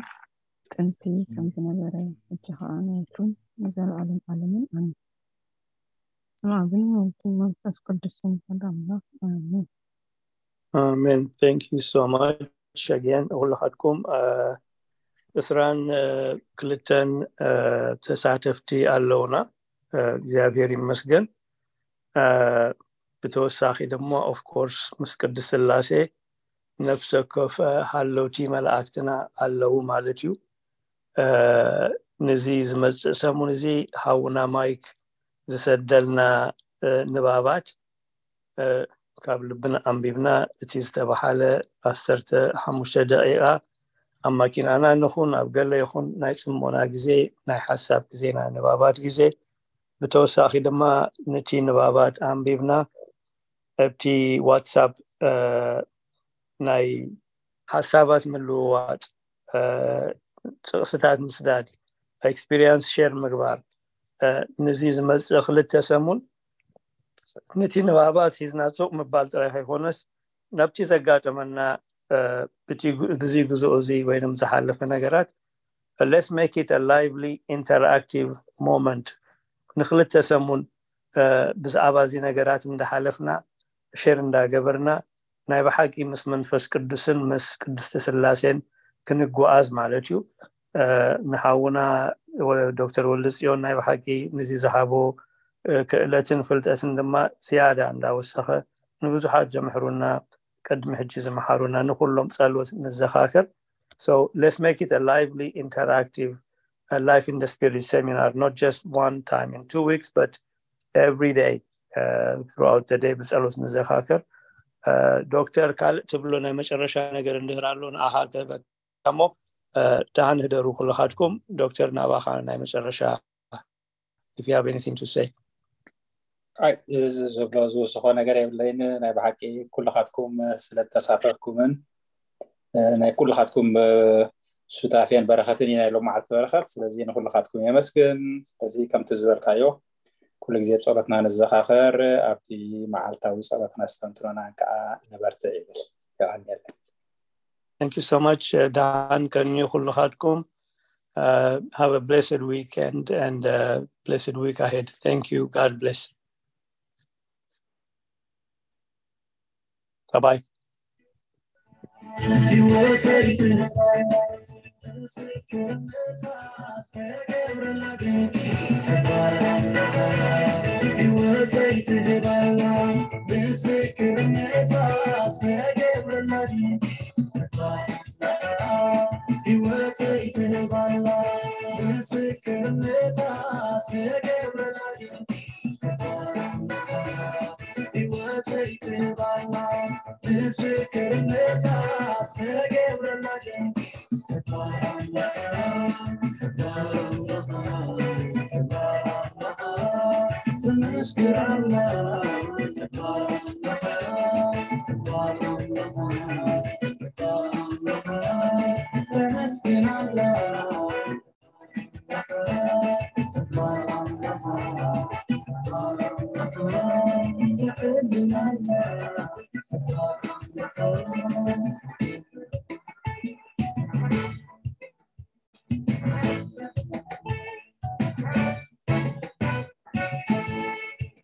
ጥንቲ ከም ዝነበረ ሕጂ ከዓ ንወትሩን ንዘለኣለም ዓለምን ኣሜን። ስም ኣብን ንወልድን መንፈስ ቅዱስን ሓደ ኣምላኽ ኣሜን። ኣሜን። Thank you so much again ኩልኻትኩም ዕስራን ክልተን ተሳተፍቲ ኣለውና። እግዚኣብሔር ይመስገን። ብተወሳኺ ድማ of course ምስ ቅድስት ስላሴ ነፍሰ ኮፈ ሃለውቲ መላእክትና ኣለዉ ማለት እዩ። ንዚ ዝመፅእ ሰሙን እዚ ሃውና ማይክ ዝሰደልና ንባባት ካብ ልብና ኣንቢብና፣ እቲ ዝተባሓለ ዓሰርተ ሓሙሽተ ደቂቃ ኣብ ማኪናና ንኹን ኣብ ገለ ይኹን ናይ ጽሞና ግዜ፣ ናይ ሓሳብ ግዜ፣ ናይ ንባባት ግዜ፣ ብተወሳኺ ድማ ነቲ ንባባት ኣንቢብና ኣብቲ ዋትሳፕ ናይ ሓሳባት ምልውዋጥ፣ ጥቕስታት ምስዳድ፣ ኤክስፒሪንስ ሸር ምግባር፣ ንዚ ዝመፅእ ክልተ ሰሙን ነቲ ንባባት ሒዝና ሱቕ ምባል ጥራይ ከይኮነስ፣ ናብቲ ዘጋጠመና ብዚ ግዝኦ እዚ ወይም ዝሓለፈ ነገራት፣ let's make it a lively interactive moment። ንክልተ ሰሙን ብዛዕባ እዚ ነገራት እንዳሓለፍና፣ ሸር እንዳገበርና፣ ናይ ብሓቂ ምስ መንፈስ ቅዱስን ምስ ቅድስቲ ስላሴን ክንጓዓዝ ማለት እዩ። ንሓውና ዶክተር ወልደጽዮን ናይ ብሓቂ ንዚ ዝሃቦ ክእለትን ፍልጠትን ድማ ዝያዳ እንዳወሰኸ፣ ንብዙሓት ዘምሕሩና፣ ቅድሚ ሕጂ ዝመሓሩና ንኩሎም ጸሎት ንዘኻክር። So let's make it a lively, interactive, a Life in the Spirit seminar, not just one time in two weeks, but every day, uh, throughout the day ብጸሎት ንዘኻክር። ዶክተር፣ ካልእ ትብሎ ናይ መጨረሻ ነገር እንድህር ኣሎ ንኣኻ ክህበካ እሞ፣ ደሓን ህደሩ ኩልኻትኩም። ዶክተር፣ ናባኻ ናይ መጨረሻ፣ if you have anything to say. ዝብሎ ዝወስኾ ነገር የብለይን። ናይ ብሓቂ ኩልኻትኩም ስለተሳተፍኩምን ናይ ኩልኻትኩም ሱታፌን በረኸትን ኢና ኢሎም መዓልቲ በረኸት። ስለዚ ንኩልኻትኩም የመስግን። ስለዚ ከምቲ ዝበልካዮ ኩሉ ግዜ ጸሎትና ንዘኻኸር፣ ኣብቲ መዓልታዊ ጸሎትና ስተንትኖና ከዓ ንበርትዕ ይብል። የቐንየለይ። Thank you so much. ደሓን ከንዩ ኩልኻትኩም። Have a blessed weekend and a blessed week ahead. Thank you. God bless. Bye bye.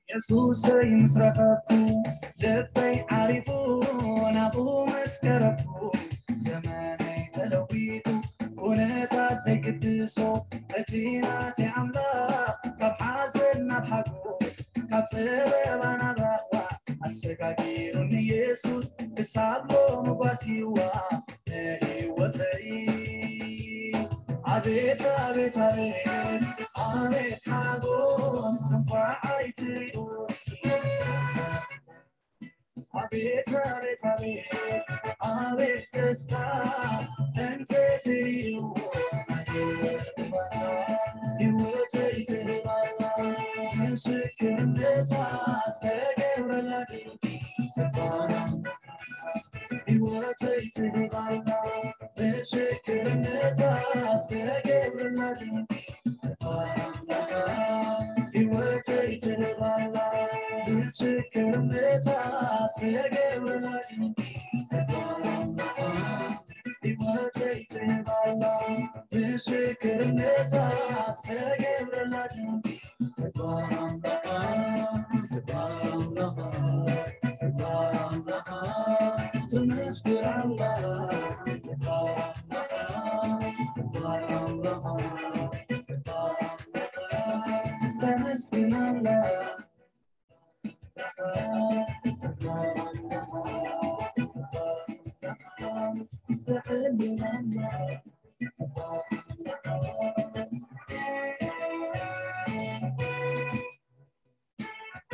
የሱሰይ ምስ ረኸብኩ ልበይ ዓሪፉ ናብኡ ምስ ቀረብኩ ዘመነይ ተለዊጡ ኩነታት ዘይግድሶ እቲ ናተይ ኣምላኽ ካብ ሓዘን ናብ ሓጎስ ካብ ጸበባ ናብ ራህዋ ኣሰጋጊሩኒ የሱስ ክሳብ ሎሚ ጓሲዋ ንህይወተይ ኣቤት ኣቤት ኣቤት ኣቤት ሓጎስ እንኳዕ ኣይትሪኡ ኣቤት ኣቤት ኣቤት ኣቤት ደስታ እንተትሪኡ ህይወተይ ትህባላ ምስክርነታ ዝተገብረላ ድንቂ ህይወተይ ትህባላ ምስክርነታ ዝተገብረላ ድንቂ ህይወተይ ትህባላ ምስክርነታ ዝተገብረላ ድንቂ ህይወተይ ትህባላ ምስክርነታ ዝተገብረላ ድንቂ